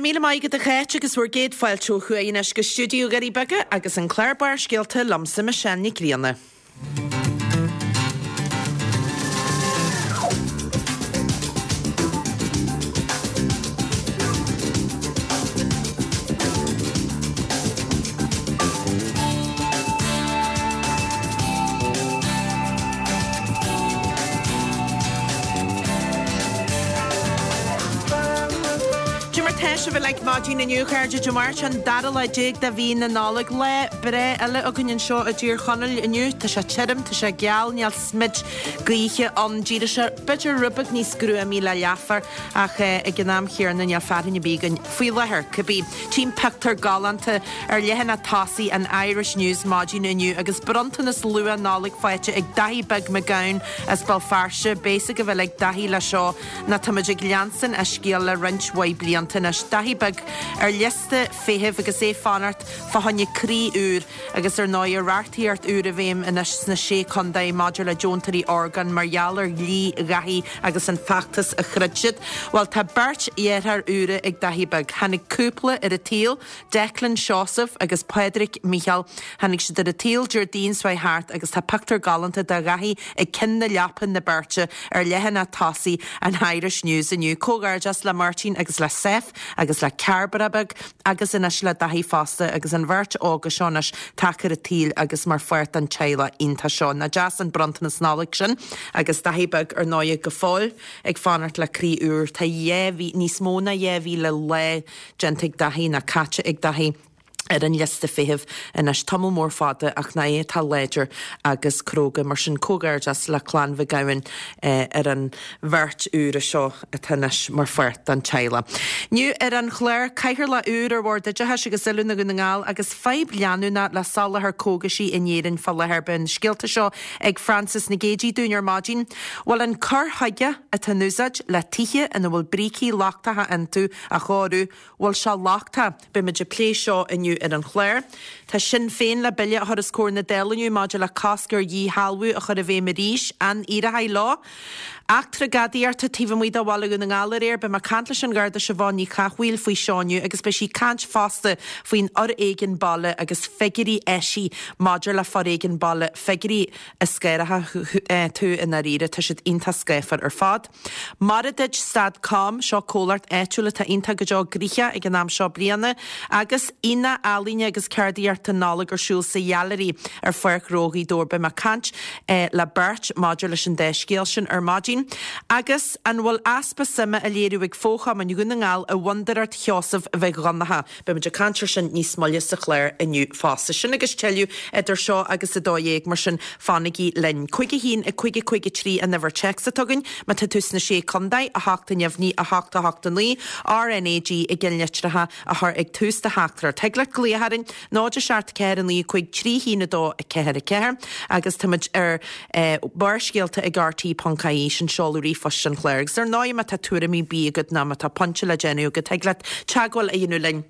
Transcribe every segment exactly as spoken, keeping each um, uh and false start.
míle maith agat a Cháit agus bhur gcéad fáilte ó thuaidh anois go stiúideo Dhoirí Beaga agus an clár Barrscéalta liomsa Michelle Nic Grianna. Cad é mar tá sibh uilig maidin inniu a chairde Dé Máirt an dara lá déag de mhí na Nollag lá breá eile againn anseo i dTír Chonaill inniu Tá sé tirim tá sé geal níl smid gaoithe ann D'éirigh sé b'fhéidir rud beag níos gruamaí le leathuair ach eh, ag an am chéanna níl fearthainn ar bith againn faoi láthair cibé. Tchím pictiúr galánta ar leathanach tosaigh an Irish News maidin inniu agus bronntanas luath Nollag faighte ag Daithí Beag Mac Gabhann as Béal Feirste beidh a fhios ag Daithí le seo ná táimid ag leanstan a scéal le roinnt mhaith blianta anois. Daithí Beag ar liosta feithimh agus é fanacht fá choinne croí úr agus ar ndóigh reachtaíocht úr i bhfeidhm anois sna sé chontae maidir le deontóirí orgán mar gheall ar dhlí Dhaithí agus an feachtas a throid siad. Well tá beirt dheartháir úra ag Daithí Beag. Tháinig cúpla ar an tsaol, Declan Seosamh agus Pádraig Micheál. Tháinig siad ar an tsaol Déardaoin seo thart agus tá pictiúr galánta de Dhaithí ag ceann na leapa na beirte ar leathanach tosaigh an Irish News inniu. Comhghairdeas le Martin agus le Seth agus le Cairbre Beag agus anois le Daithí fosta agus an bheirt óga seo anois tagtha ar an tsaol agus mar pháirt den teaghlach iontach seo. Nach deas an bronntanas Nollag sin agus Daithí Beag ar ndóigh go fóill ag fanacht le croí úr Tá dhá mhí níos mó ná dhá mhíle lá déanta ag Daithí ná caite ag Daithí ar an liosta feithimh anois tamall mór fada ach ná é tá láidir agus cróga mar sin comhghairdeas le clann Mhic Gabhann eh, ar an bheirt úra seo atá anois mar pháirt den teaghlach. Inniu ar an chlár cathaoirleach úr ar Bhord Oideachais agus Oiliúna Dhún na nGall agus fadhb leanúnach le soláthar cógaisí in Éirinn fá láthair beidh na scéalta seo ag Francis Nic Géadaigh dúinn ar maidin. Bhfuil an cur chuige atá in úsáid le tithe ina bhfuil brící lochtacha iontu a chóiriú, bhfuil sé lochtach Beimid ag plé seo inniu ar an chlár. Tá Sinn Féin le bille a chur os comhair na Dála inniu maidir le cosc ar dhíshealbhú a chur i bhfeidhm arís an éireoidh leo. Eachtra gadaíochta taobh amuigh de Bhaile Dhún na nGall aréir beidh mé ag caint leis an Gharda Siobhán Ní Chathmhaoil faoi seo inniu agus beidh sí ag caint fosta faoin fhoréigean baile agus figiúirí eisithe maidir le foréigean baile figiúirí a scanródh tú i ndáiríre tá siad iontach scáfar ar fad. Maire Duit stad com seo comhlacht áitiúil atá iontach go deo gnoitheach ag an am seo bliana agus Aonach Ealaíne agus Ceardaíochta Nollag ar siúl sa Ghailearaí ar Pháirc Ghnó Ghaoth Dobhair beidh mé ag caint eh, le beirt maidir leis an dá scéal sin ar maidin. Agus an bhfuil easpa suime á léiriú ag fo-chumainn Dhún na nGall i bhFondúireacht Sheosaimh Mhic Dhonncha. Beimid ag caint air sin níos moille sa chlár inniu fosta. Sin agus tuilleadh idir seo agus a dó dhéag mar sin fanaigí linn. Cúig a haon a cúig a cúig a trí an uimhir téacs atá againn, má tá tú sna sé chontae a hocht a neamhní a hocht a hocht a naoi, RNAG i gceannlitreacha a chur ag tús do theachtaireacht. Thig leat glaoch orainn náid a seacht ceathair a naoi cúig trí haon a dó a ceathair a ceathair agus táimid ar eh, Barrscéalta ag RTÉ.ie sin seoladh ríomhphoist an chláir. Agus ar ndóigh má tá tuairimí ar bith agat ná má tá pointe le déanamh agat thig leat teagmháil a dhéanamh linn.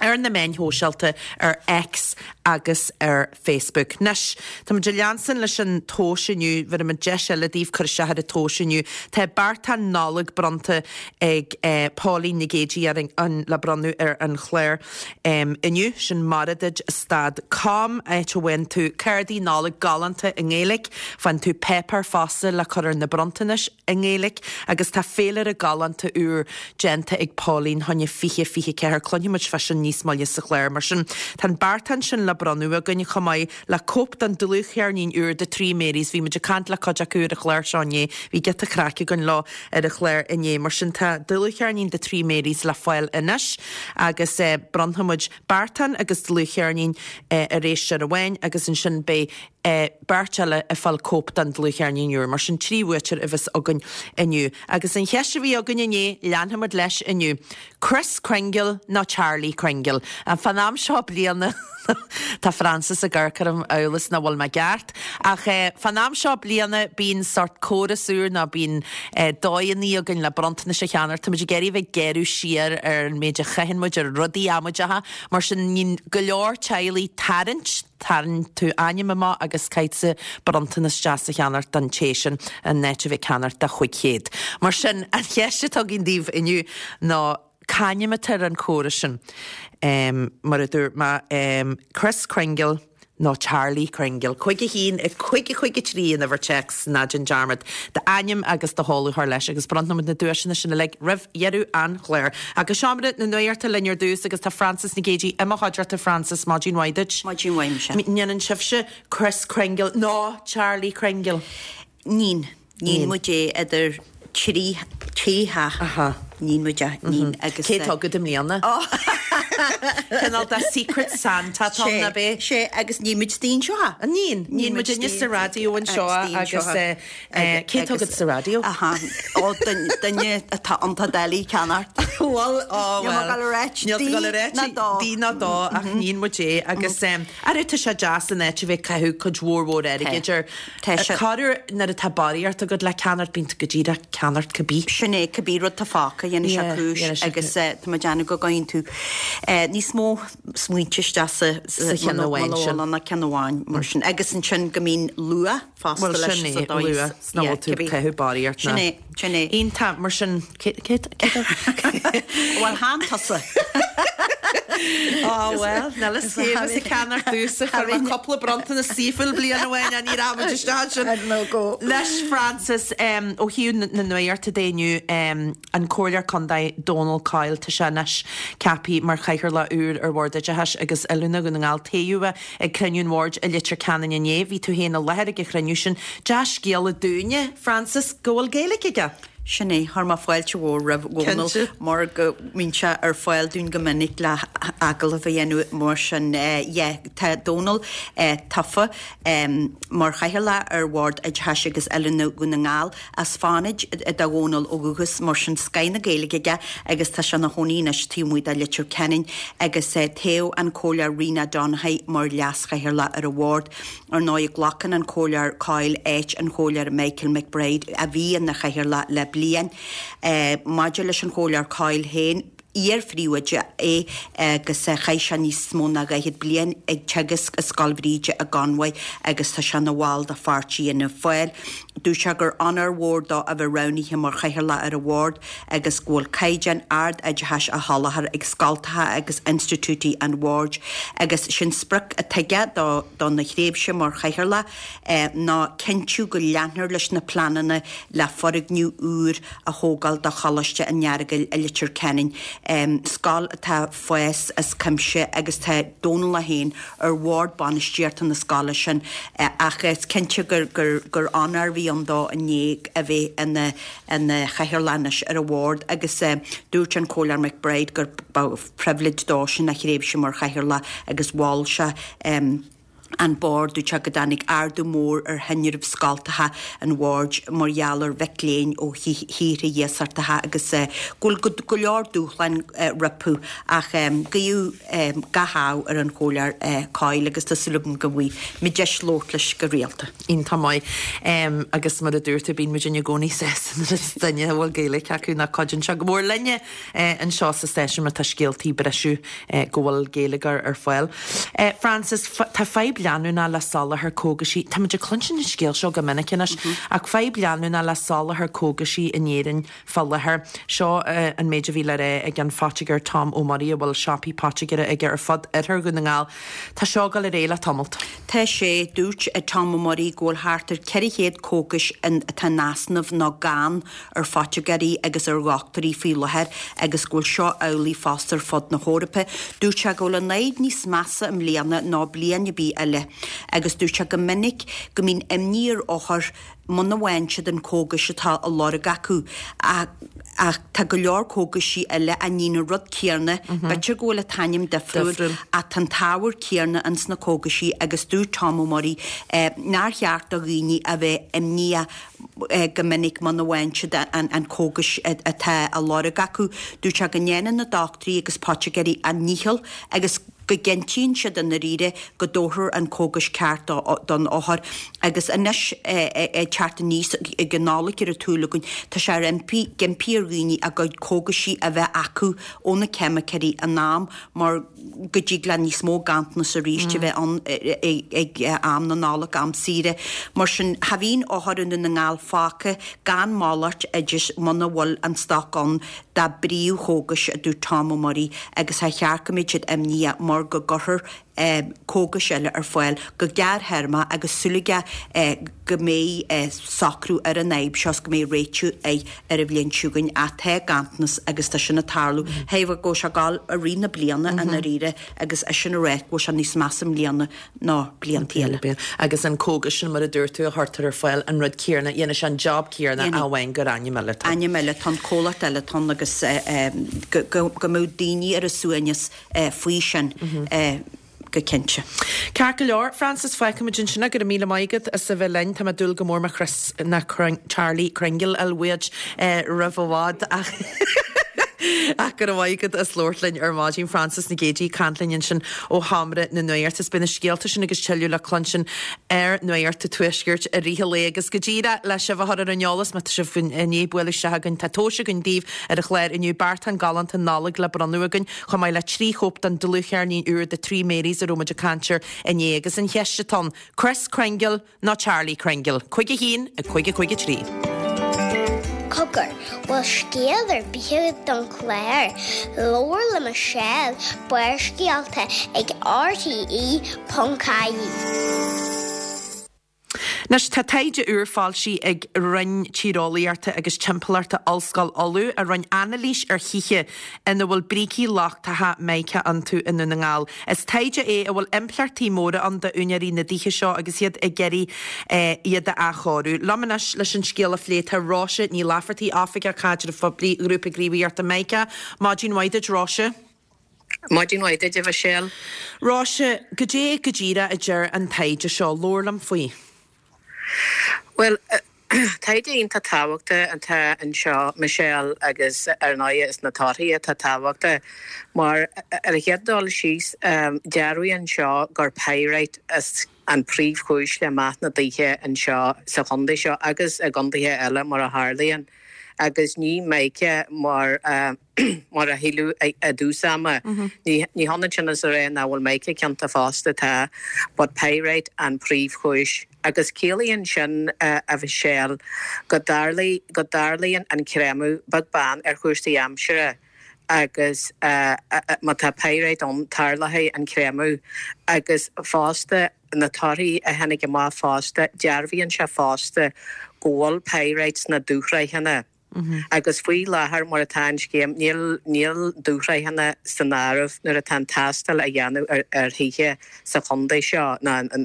ar na meáin shóisialta ar X agus ar Facebook. Anois Tá muid ag leanstan leis an tomhas inniu bhí an deis eile daoibh cur isteach ar an tomhas inniu. Tá beartán Nollag bronnta ag eh, Pauline Nic Géadaigh ar an, an le bronnadh ar an chlár um, inniu sin Maradid stad com áit a bhfaigheann tú cártaí Nollag galánta i nGaeilge, faigheann tú páipéar fosta le cur ar na bronntanais i nGaeilge agus tá féilire galánta úr déanta ag Pauline fá choinne fiche fiche ceathair cluinfimid fá sin níos moille sa chlár mar sin. Tá an beartán sin le bronnadh againn chomh maith le cóip den dlúthcheirnín úr de Three Marys bhí muid ag caint le cuid acu ar an chlár seo inné bhí giota craic againn leo ar an chlár inné mar sin tá dlúthcheirnín de Three Marys le fáil anois agus eh, bronnfaimid beartán agus dlúthcheirnín eh, ar éisteoir amháin agus ansin beidh eh, beirt eile ag fáil cóip den dlúthcheirnín úr, mar sin trí bhuaiteoir a bheas againn inniu. Agus an cheist a bhí againn inné leanfaimid leis inniu. Chris Kringle nó Charlie Kringle. An fán am seo bliana Tá Francis ag amharc orm amhail is nach bhfuil mé ceart. Ach eh, fán am seo bliana bíonn sórt córas úr ná bíonn eh, dóigheanna againn le bronntanais a cheannach Tá muid ag iarraidh bheith gearradh siar ar an méid a chaitheann muid ar rudaí amaideacha, mar sin níonn go leor teaghlaigh tarraingt tarraing tú ainm amach agus caithfidh bronntanas deas a cheannach don té sin in áit a bheith ag ceannach do chúig chéad. Mar sin an cheist atá againn daoibh inniu ná C'ainm atá ar an chóras sin? Um, mar a dúirt mé um, Chris Kringle nó Charlie Kringle. Cúig a haon a cúig a cúig a trí an uimhir téacs ná déan dearmad d'ainm agus do sheoladh a chur leis agus bronnfaimid na duaiseanna sin uilig roimh dheireadh an chláir. Agus seomra na nuachta linn ar dtús agus tá Frances Nic Géadaigh i mo chuideachta Frances maidin mhaith duit. Maidin mhaith Michelle. Ndéanann sibhse Chris Kringle nó Charlie Kringle. Nín nín muid é idir trí trí ha nín muid é nín agus Cé tá agat i mbliana? Cineál de Secret Santa tá na bé. sé agus ní muid stín seo. Nín nín muid inne sa raidió anseo agus cé tá agat sa raidió? Aha ó duine atá iontach doiligh ceannacht. Well ó well Dí ná dó ach nín muid é agus ar tá sé deas an áit a bheith caitheamh cuid mhór mhór airgid ar Corruair nuair atá barraíocht agat le ceannacht bíonn tú go díreach ceannacht cibé. Sin é cibé rud tá fágtha dhéanfaidh sé cúis agus tá mé ag déanamh go gcaithfidh tú níos mó smaointe isteach sa Sa cheann amháin sin. ná ceann amháin mar sin agus ansin go mbíonn luath fosta Well leis sin sa é dóigh luath ná bhfuil tú caitheamh barraíocht Sin é sin é. Iontach mar sin Bhuel chan tusa. Á well, ná le céh a ceannacht dúsa chuir mé cúpla bronntanas saoifil bliain amháin an ní raibh isteach sin. No go. Leis Frances um, ó thaobh na nuachta de inniu um, an Comhairleoir Contae Donal Coyle tá sé anois ceaptha mar chathaoirleach úr ar Bhord Oideachais agus Oiliúna Dhún na nGall toghadh ag cruinniú an bhoird i Leitir Ceanainn inné, bhí tú féin i láthair ag an chruinniú sin. Dea-scéala dúinne, Frances, go bhfuil Gaeilge aige. Sin é chuir mé fáilte mhór roimh Dhónal Cinnte. mar go mbíonn sé ar fáil dúinn go minic le agallamh a dhéanamh mar sin yeah, tá Dónal eh, tofa um, mar chathaoirleach ar Bhord Oideachais agus Oiliúna Dhún na nGall as Fánaid do Dhónal ó dhúchas mar sin scoth na Gaeilge aige agus tá sé ina chónaí anois taobh amuigh de Leitir Ceanainn agus eh, toghadh an Comhairleoir Rena Donaghey mar leaschathaoirleach ar an bhord. Ar ndóigh glacann an Comhairleoir Coyle áit an Chomhairleoir Michael McBride a bhí ina chathaoirleach le bliain. Eh, maidir leis an Chomhairleoir Coyle féin iar-phríomhoide é agus chaith sé níos mó ná daichead bliain ag teagasc i Scoil Bhríde i gConmhaigh agus tá sé ina bhall de pháirtí Fhianna Fáil. Dúirt sé gur onóir mhór dó a bheith roghnaithe mar chathaoirleach ar an bhord agus go bhfuil caighdeán ard oideachais á sholáthar ag scoltacha agus institiúidí an bhoird agus sin sprioc atá aige do do na thréimhse mar chathaoirleach eh, ná cinntiú go leanfar leis na pleananna le foirgneamh úr a thógáil do Choláiste an Earagail i Leitir Ceanainn. Um, scoil atá fás as cuimse agus tá Dónal féin ar bhord bainistíochta na scoile sin eh, ach is cinnte gur, gur, gur onóir a bhí ann dó inné a bheith ina ina chathaoirleach anois ar an bhord agus eh, dúirt an Comhairleoir McBride gur ba pribhléid dó sin a thréimhse mar chathaoirleach agus mhol sé um, an bord dúirt sé go dtáinig ardú mór ar thinreamh scoltacha an bhoird mar gheall ar mhic léinn ó thíortha iasachtacha agus eh, go bhfuil go leor dúshláin eh, rompu ach um, guíodh um, gach ádh ar an Chomhairleoir eh, Coyle agus tá súil agam go bhfaighidh mé deis labhairt leis go rialta. Iontach maith um, agus mar a dúirt tú bíonn muid i gcónaí sásta nuair is duine a bhfuil Gaeilge acu ná cuidíonn sé go mór linne eh, anseo sa stáisiún má tá scéaltaí breise eh, go bhfuil Gaeilge ar ar fáil. Eh, Frances, tá fadhb leanúnach le soláthar cógaisí Tá muid ag cluinstin an scéal seo go minic anois ach fadhb leanúnach le soláthar cógaisí in Éirinn fá láthair. Seo uh, an méid a bhí le rá ag an phoitigéir Tom Ó Muirí a bhfuil siopaí poitigéara aige ar fud oirthear Dhún na nGall. Tá seo ag dul ar aghaidh le tamalt. Tá sé dúirt ag Tom Ó Muirí go bhfuil thart ar ceithre chéad cógais atá in easnamh nó gann ar phoitigéirí agus ar dhochtúirí faoi láthair agus go bhfuil seo amhlaidh fosta ar fud na hEorpa. Dúirt sé go bhfuil an fhadhb níos measa i mbliana ná bliain ar bith eile, agus dúirt sé go minic go mbíonn imní ar othair muna bhfaigheann siad an cógais atá á lorg acu ach tá go leor cógaisí eile a níonn an rud céanna, B'fhéidir go bhfuil an t-ainm difriúil ach an t-ábhar céanna ins na cógaisí agus dúirt Tom Ó Muirí eh, nár cheart do dhaoine a bheith imníoch eh, go minic muna bhfaigheann siad an, an cógais atá á lorg acu. Dúirt sé go ndéanann na dochtúirí agus poitigéirí a ndícheall agus go gcinntíonn siad i ndáiríre go dtabharfar an cógas ceart don othar agus anois ag teacht aníos ag an Nollaig ar an tsúil againn, tá sé ar impí, ag impí ar dhaoine a gcuid cógaisí a bheith acu ó na ceimiceoirí in am mar go dtig le níos mó ganntanas arís a bheith ann ag am na Nollag, am saoire. Mar sin, cha bhíonn othar i nDún na nGall fágtha gan malairt oideas muna bhfuil an stoc ann dá bpríomhchógais, a dúirt Tom Ó Muirí, agus cha cheart go mbeadh siad imníoch mar go gcuirfear cógais eile ar fáil go gearrthéarmach agus súil aige go mbeidh socrú ar an fhadhb seo is go mbeidh réitiú air ar an bhliain seo chugainn ach tá ganntanas agus tá sin ag tarlú. Thaobh go bhfuil sé ag gabháil i rith na bliana i ndáiríre agus é sin a rá go bhfuil sé níos measa i mbliana ná blianta eile. Agus an cógas sin mar a dúirt tú a chuirtear ar fáil an rud céanna, dhéanann sé an job céanna ach amháin gur ainm eile atá. Ainm eile atá ann, comhlacht eile atá ann agus go mbeadh daoine ar a suaimhneas faoi sin go cinnte. Ceart go leor, Frances, fágfaimid ansin é, go raibh míle maith agat as a bheith linn. Tá mé ag dúil go mór mo Chris ná Charlie Kringle a fháil uait roimh i bhfad ach ach go raibh maith agat as labhairt linn ar maidin. Frances Nic Géadaigh ag caint linn ansin ó Sheomra na Nuachta. Is beidh na scéalta sin agus tuilleadh le cluinstin ar Nuacht an Tuaiscirt i rith an lae agus go díreach le sibh a chur ar an eolas má tá sibh i ndiaidh bualadh isteach againn tá tomhais againn daoibh ar an chlár inniu beartán galánta Nollag le bronnadh againn chomh maith le trí chóip den dlúthcheirnín úr The Three Marys a raibh muid ag caint air inné agus an cheist atá ann, Kris Kringle nó Charlie Kringle? Cúig a haon, a cúig a cúig a trí. Cogar, bhfuil scéal ar bith agat don chlár? Labhair le Michelle, Barrscéalta ag RTE ponc ie. Anois, tá taighde úr foilsithe ag Roinn Tíreolaíochta agus Timpeallachta Ollscoil Uladh a rinne anailís ar thithe ina bhfuil brící lochtacha mica iontu i nDún na nGall. Is taighde é a bhfuil impleachtaí móra ann d'úinéirí na dtithe seo agus iad ag iarraidh iad a athchóiriú. Liom anois leis an scéal a phlé tá Róise Ní Laifeartaigh, Oifigeach Caidrimh Phoiblí Ghrúpa Gníomhaíochta Mica. Maidin mhaith duit, Róise. Maidin mhaith duit, a Mhichelle. Róise, goidé go díreach a deir an taighde seo? Labhair liom faoi. Bhuel, taighde iontach tábhachtach atá anseo, Michelle, agus ar ndóigh is na torthaí atá tábhachtach mar ar an chéad dul síos, dearbhaíonn anseo gur pyrite is an príomhchúis le meath na dtithe anseo sa chontae seo agus i gcontaetha eile mar a tharlaíonn agus ní mica mar mar a shíleadh i dtús ama. Ní hionann sin is a rá nach bhfuil mica ciontach fosta, tá, but pyrite an príomhchúis. Agus ciallaíonn sin, a Mhichelle, go go dtarlaíonn an creimeadh beag beann ar chúrsaí aimsire agus má tá pyrite ann tarlóidh an creimeadh agus fosta na torthaí a tháinig amach fosta, dearbhaíonn sé fosta go bhfuil pyrite sna dúshraitheanna. Agus faoi láthair mar atá an scéim, níl níl dúshraitheanna san áireamh nuair atá an tástáil á dhéanamh ar ar thithe sa chontae seo ná ná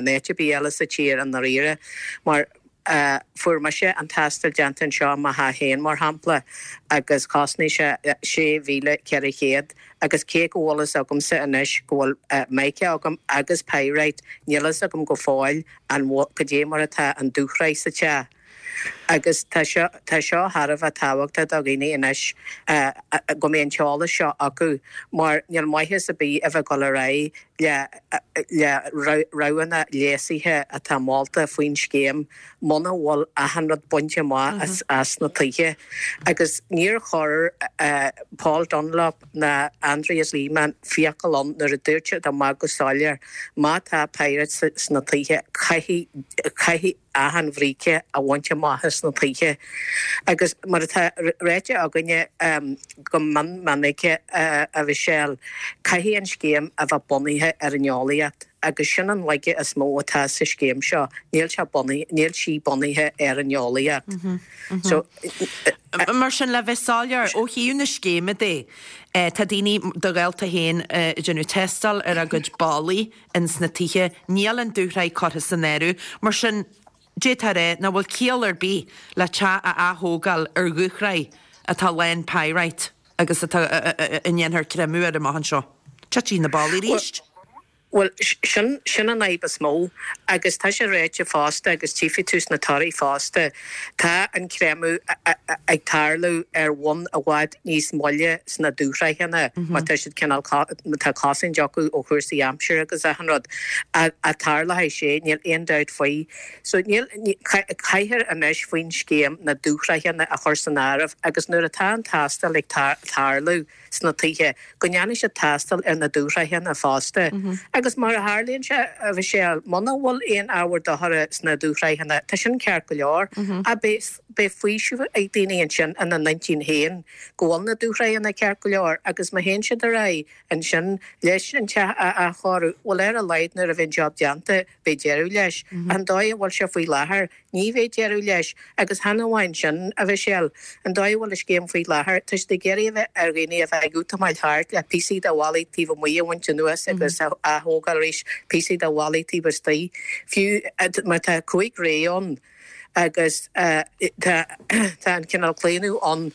in áit ar bith eile sa tír i ndáiríre. Mar fuair mise an tástáil déanta anseo i mo theach féin mar shampla agus chosnaigh sé sé mhíle ceithre chéad agus cé go bhfuil fhios agamsa anois go bhfuil mica agam agus pyrite, níl fhios agam go fóill an bhfuil goidé mar atá an dúshraith sa teach. Agus tá seo tá seo thar a bheith tábhachtach do dhaoine anois go mbeidh an t-eolas seo acu mar níl maitheas ar bith a bheith ag dul ar aghaidh le le roghanna léasaithe atá molta faoin scéim muna bhfuil achan rud bainte amach as as na tithe. Agus níor chuir Paul Dunlop ná Andreas Lehmann fiacail ann nuair a dúirt siad amach go soiléir má tá pyrite sna tithe caithfidh caithfidh achan bhríce a bhaint amach as na tithe. Agus mar atá ráite againne go mion minic, a Mhichelle, caithfidh an scéim a bheith bunaithe ar an eolaíocht agus sin an laige is mó atá sa scéim seo, níl sé bunaithe, níl sí bunaithe ar an eolaíocht. So. Mar sin, le bheith soiléir, ó thaobh na scéime de, tá daoine, do ghaolta féin, ag déanamh tástáil ar a gcuid ballaí ins na tithe, níl an dúshraith curtha san áireamh. Mar sin, d'fhéadfá a rá nach bhfuil ciall ar bith le teach a ath-thógáil ar dhúshraith atá lán pyrite agus atá a ndéanfar creimeadh air amach anseo. Titfidh na ballaí arís. Bhuel, sin sin an fhadhb is mó agus tá sé ráite fosta agus tchífidh tú sna torthaí fosta, tá an creimeadh ag tarlú ar bhonn i bhfad níos moille sna dúshraitheanna mar tá siad cineál, tá cosaint acu ó chúrsaí aimsire agus achan rud. A tarlóidh sé, níl aon dabht faoi. So níl, caithfear anois faoin scéim na dúshraitheanna a chur san áireamh agus nuair atá an tástáil ag tarlú, sna tithe, go ndéanfaidh siad tástáil ar na dúshraitheanna fosta. Agus mar a tharlaíonn sé, a Mhichelle, muna bhfuil aon ábhar dochair sna dúshraitheanna, tá sin ceart go leor, ach beidh, beidh faoiseamh ag daoine ansin ina n-intinn féin go bhfuil na dúshraitheanna ceart go leor agus má théann siad ar aghaidh ansin leis an teach a athchóiriú, bhuel ar a laghad nuair a bheidh an job déanta, beidh deireadh leis. An dóigh a bhfuil sé faoi láthair, ní bheidh deireadh leis. Agus chan amháin sin, a Mhichelle, an dóigh a bhfuil an scéim faoi láthair, tá siad ag iarraidh a bheith ar dhaoine a bheith ag útamáil thart le píosaí de bhallaí taobh amuigh a bhaint anuas agus a ath-thógáil arís, píosaí de bhallaí taobh istigh, fiú mar tá cúig ré ann agus tá an cineál claonadh ann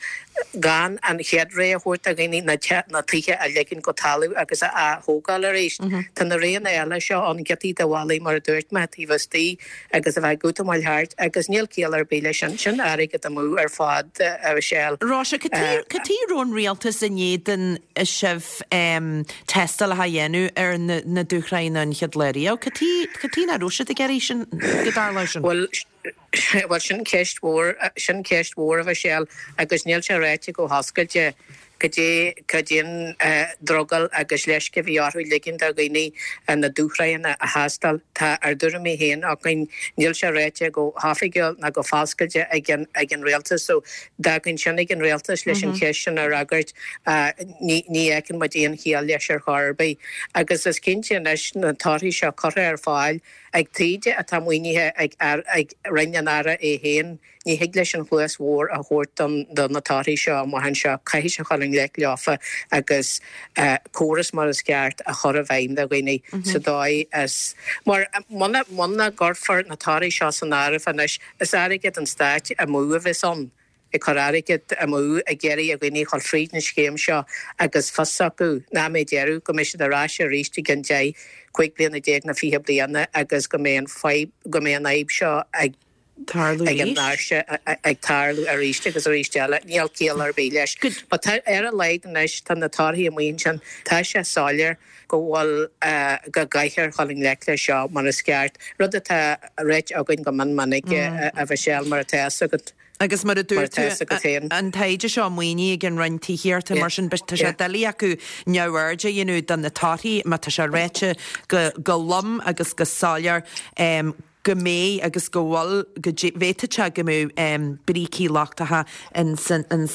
gan an chéad ré a thabhairt do dhaoine, na tithe a ligean go talamh agus a ath-thógáil arís. Tá na réanna eile seo ann, giotaí de bhallaí mar a dúirt mé, taobh istigh agus a bheith ag útamáil thart agus níl ciall ar bith leis sin. Sin airgead amú ar fad, a Mhichelle. Róise, cad chuige a raibh an rialtas in éadan sibh tástálacha a dhéanamh ar na dúshraitheanna an chéad lá riamh? Cad chuige nach raibh siad ag iarraidh sin, go dtarlódh sin? Bhuel, Bhuel, sin ceist mhór, sin ceist mhór, a Mhichelle, agus níl sé ráite go hoscailte cad é, cad é an drogall agus leisce a bhí orthu ligean do dhaoine na dúshraitheanna a thástáil. Tá ár dtuairimí féin againn, níl sé ráite go hoifigiúil ná go foscailte ag an, ag an rialtas so d'fhágfainn sin ag an rialtas leis an cheist sin a fhreagairt. Ní, ní fheiceann muid aon chiall leis ar chor ar bith. Agus is cinnte anois na torthaí seo curtha ar fáil, Ag taighde atá maoinithe ag Roinn an Aire é féin, ní thig leis an chluas bhodhar a thabhairt do na torthaí seo amach anseo. Caithfidh sé dhul i ngleic leofa agus córas mar is ceart a chur i bhfeidhm do dhaoine sa dóigh is mar muna muna gcuirfear na torthaí seo san áireamh anois, is airgead an stáit amú a bheas ann. ag cur airgead amú ag iarraidh ar dhaoine a dhul fríd an scéim seo agus fios acu nach mbeidh deireadh, go mbeidh siad ar ais arís i gcionn deich, cúig bliana déag nó fiche bliana agus go mbeidh an fadhb, go mbeidh an fhadhb seo ag Tarlú ag an arís. áirse ag tarlú arís agus arís eile. Níl ciall ar bith leis. Good. But tá, ar a laghad anois, tá na torthaí amuigh ansin, tá sé soiléir go bhfuil, go gcaithfear dhul i ngleic leis seo mar is ceart, rud atá ráite againn go mion minic, a Mhichelle, mar atá fhios agat. Agus mar a dúirt tú, an taighde seo maoinithe ag an Roinn Tithíochta, mar sin tá sé doiligh acu neamhaird a dhéanamh de na torthaí má tá sé ráite go lom agus go soiléir go mbeidh agus go bhfuil, go bhféadfadh sé go mbeadh brící lochtacha ins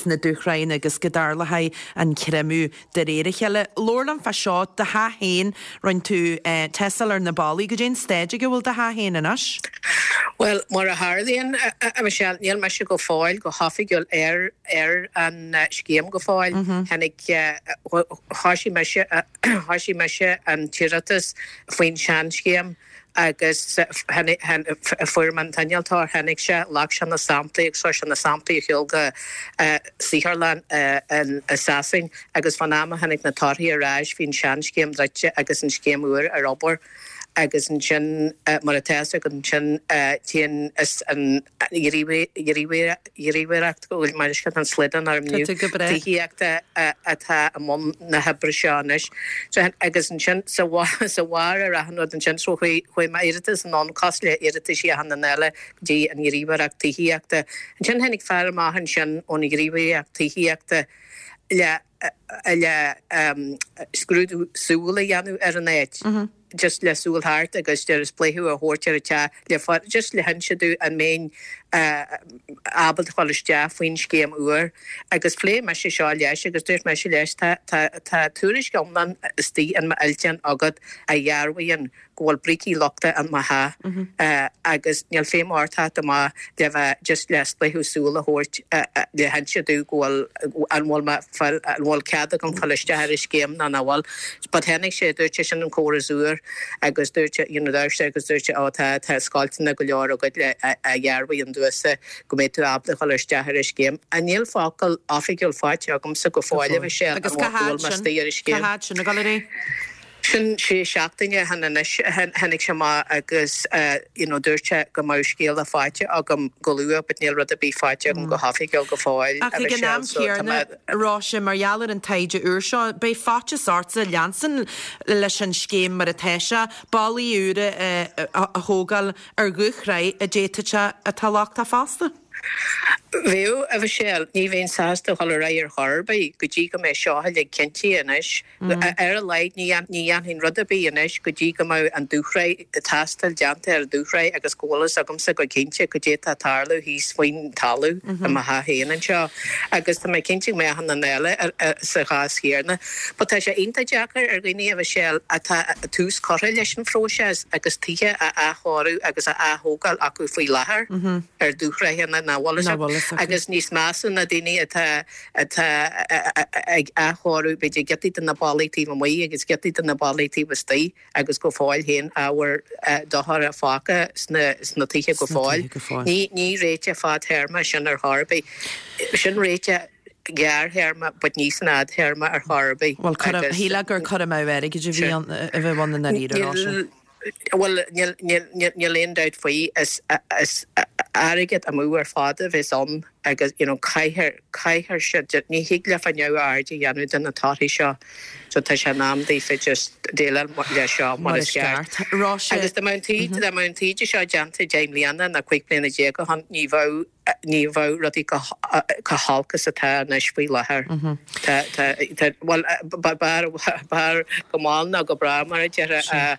na dúshraitheanna agus go dtarlóidh an creimeadh de réir a chéile. Labhair liom fá seo, do theach féin, rinne tú tástáil ar na ballaí, goidé an staid ag a bhfuil do theach féin anois? Bhuel, mar a tharlaíonn, a Michelle, níl mise go fóill go hoifigiúil ar ar an scéim go fóill. Tháinig, thoisigh mise, thoisigh mise an t-iarratas faoin seanscéim agus fuair mé an t-innealtóir, tháinig sé, ghlac sé na samplaí agus chuir sé na samplaí ar shiúl go saotharlann i Sasain agus fán am a tháinig na torthaí ar ais bhí an seanscéim druidte agus an scéim úr ar obair. Agus ansin, mar atá fhios agat ansin, téann is an Ghníomhaireacht, go bhfuil mar is an slaghdán orm inniu, tithíochta atá i mbun na hoibre seo anois. So, agus ansin, sa bharr ar achan rud ansin, so chuaigh m'iarratas anonn cosúil le iarrataisí achan duine eile go dtí an Ghníomhaireacht Tithíochta. Ansin tháinig fear amach ansin ón Ghníomhaireacht Tithíochta le le scrúdú súl a dhéanamh ar an áit. just le súil thart agus deir spléachadh a thabhairt ar an teach le fáil just le hinse domh an mbeinn ábalta dhul isteach faoin scéim úr agus phléigh mise seo leis agus dúirt mise leis tá tá tá tuairisc iomlán istigh in m'fhillteán agat a dhearbhaíonn go bhfuil brící lochta in mo theach agus níl feidhm ort theacht amach le bheith just le spléachadh súl a thabhairt le hinse domh go bhfuil an bhfuil mé fáil an bhfuil cead agam fáil isteach ar an scéim nó nach bhfuil. But tháinig sé dúirt sé sin an córas úr agus dúirt sé you know dúirt sé agus dúirt sé ó tá tá scoilteanna go leor agat le a dhearbhaíonn domhsa go mbeidh tú ábalta dhul isteach ar an scéim. A níl focal oifigiúil faighte agamsa go fóill a Mhichelle Agus cá an bhfuil háit mé sin istigh ar an cá scéim. háit sin ag dul ar aghaidh? Sin sé seachtaine ó shin anois tháinig sé amach agus you know dúirt sé go mbeadh scéala faighte agam go luath but níl rud ar bith faighte agam go hoifigiúil go fóill. Ach ag an am céanna Róise mar gheall ar an taighde úr seo, beidh faitíos ortsa leanstan leis an scéim mar atá sé, ballaí úra a thógáil ar dhúshraith a d'fhéadfadh sé atá lochtach fosta. Bheadh, a Mhichelle, ní bheinn sásta dhul ar aghaidh ar chor ar bith go dtí go mbeidh seo uilig cinntithe anois. Ar a laghad ní dhéanfainn rud ar bith anois go dtí go mbeidh an dúshraith, tástáil déanta ar an dúshraith agus go bhfuil fhios agamsa go cinnte cad é atá ag tarlú thíos faoin talamh i mo theach féin anseo. Agus tá mé cinnte go mbeidh achan duine eile sa chás chéanna. But tá sé iontach deacair ar dhaoine, a Mhichelle, atá tús curtha leis an phróiseas agus tithe á athchóiriú agus á aththógáil acu faoi láthair ar dúshraitheanna nach bhfuil fhios acu. Agus níos measa na daoine atá atá ag athchóiriú b'fhéidir giotaí de na ballaí taobh amuigh agus giotaí de na ballaí taobh istigh agus go fóill féin ábhar dochair fágtha sna sna tithe go fóill. Ní ní réiteach fadtéarma sin ar chor ar bith. Sin réiteach gearrthéarma but ní san fhadtéarma ar chor ar bith. Bhuel shílfeá gur cur amú airgid a bhí ann a bheith ann i ndáiríre, Róise. Bhuel níl aon dabht faoi is is airgead amú ar fad a bheas ann agus you know caithfear caithfear siad ní thig leofa neamhaird a dhéanamh de na torthaí seo so tá sé in am daofa just déileáil leis seo mar is ceart. Agus dá mbeadh an taighde dá mbeadh an taighde seo déanta deich mbliana nó cúig bliana déag ó shin ní bheadh ní bheadh rudaí chomh holc is atá anois faoi láthair. Tá tá tá bhuel b'fhearr b'fhearr go mall ná go brách mar a déarfá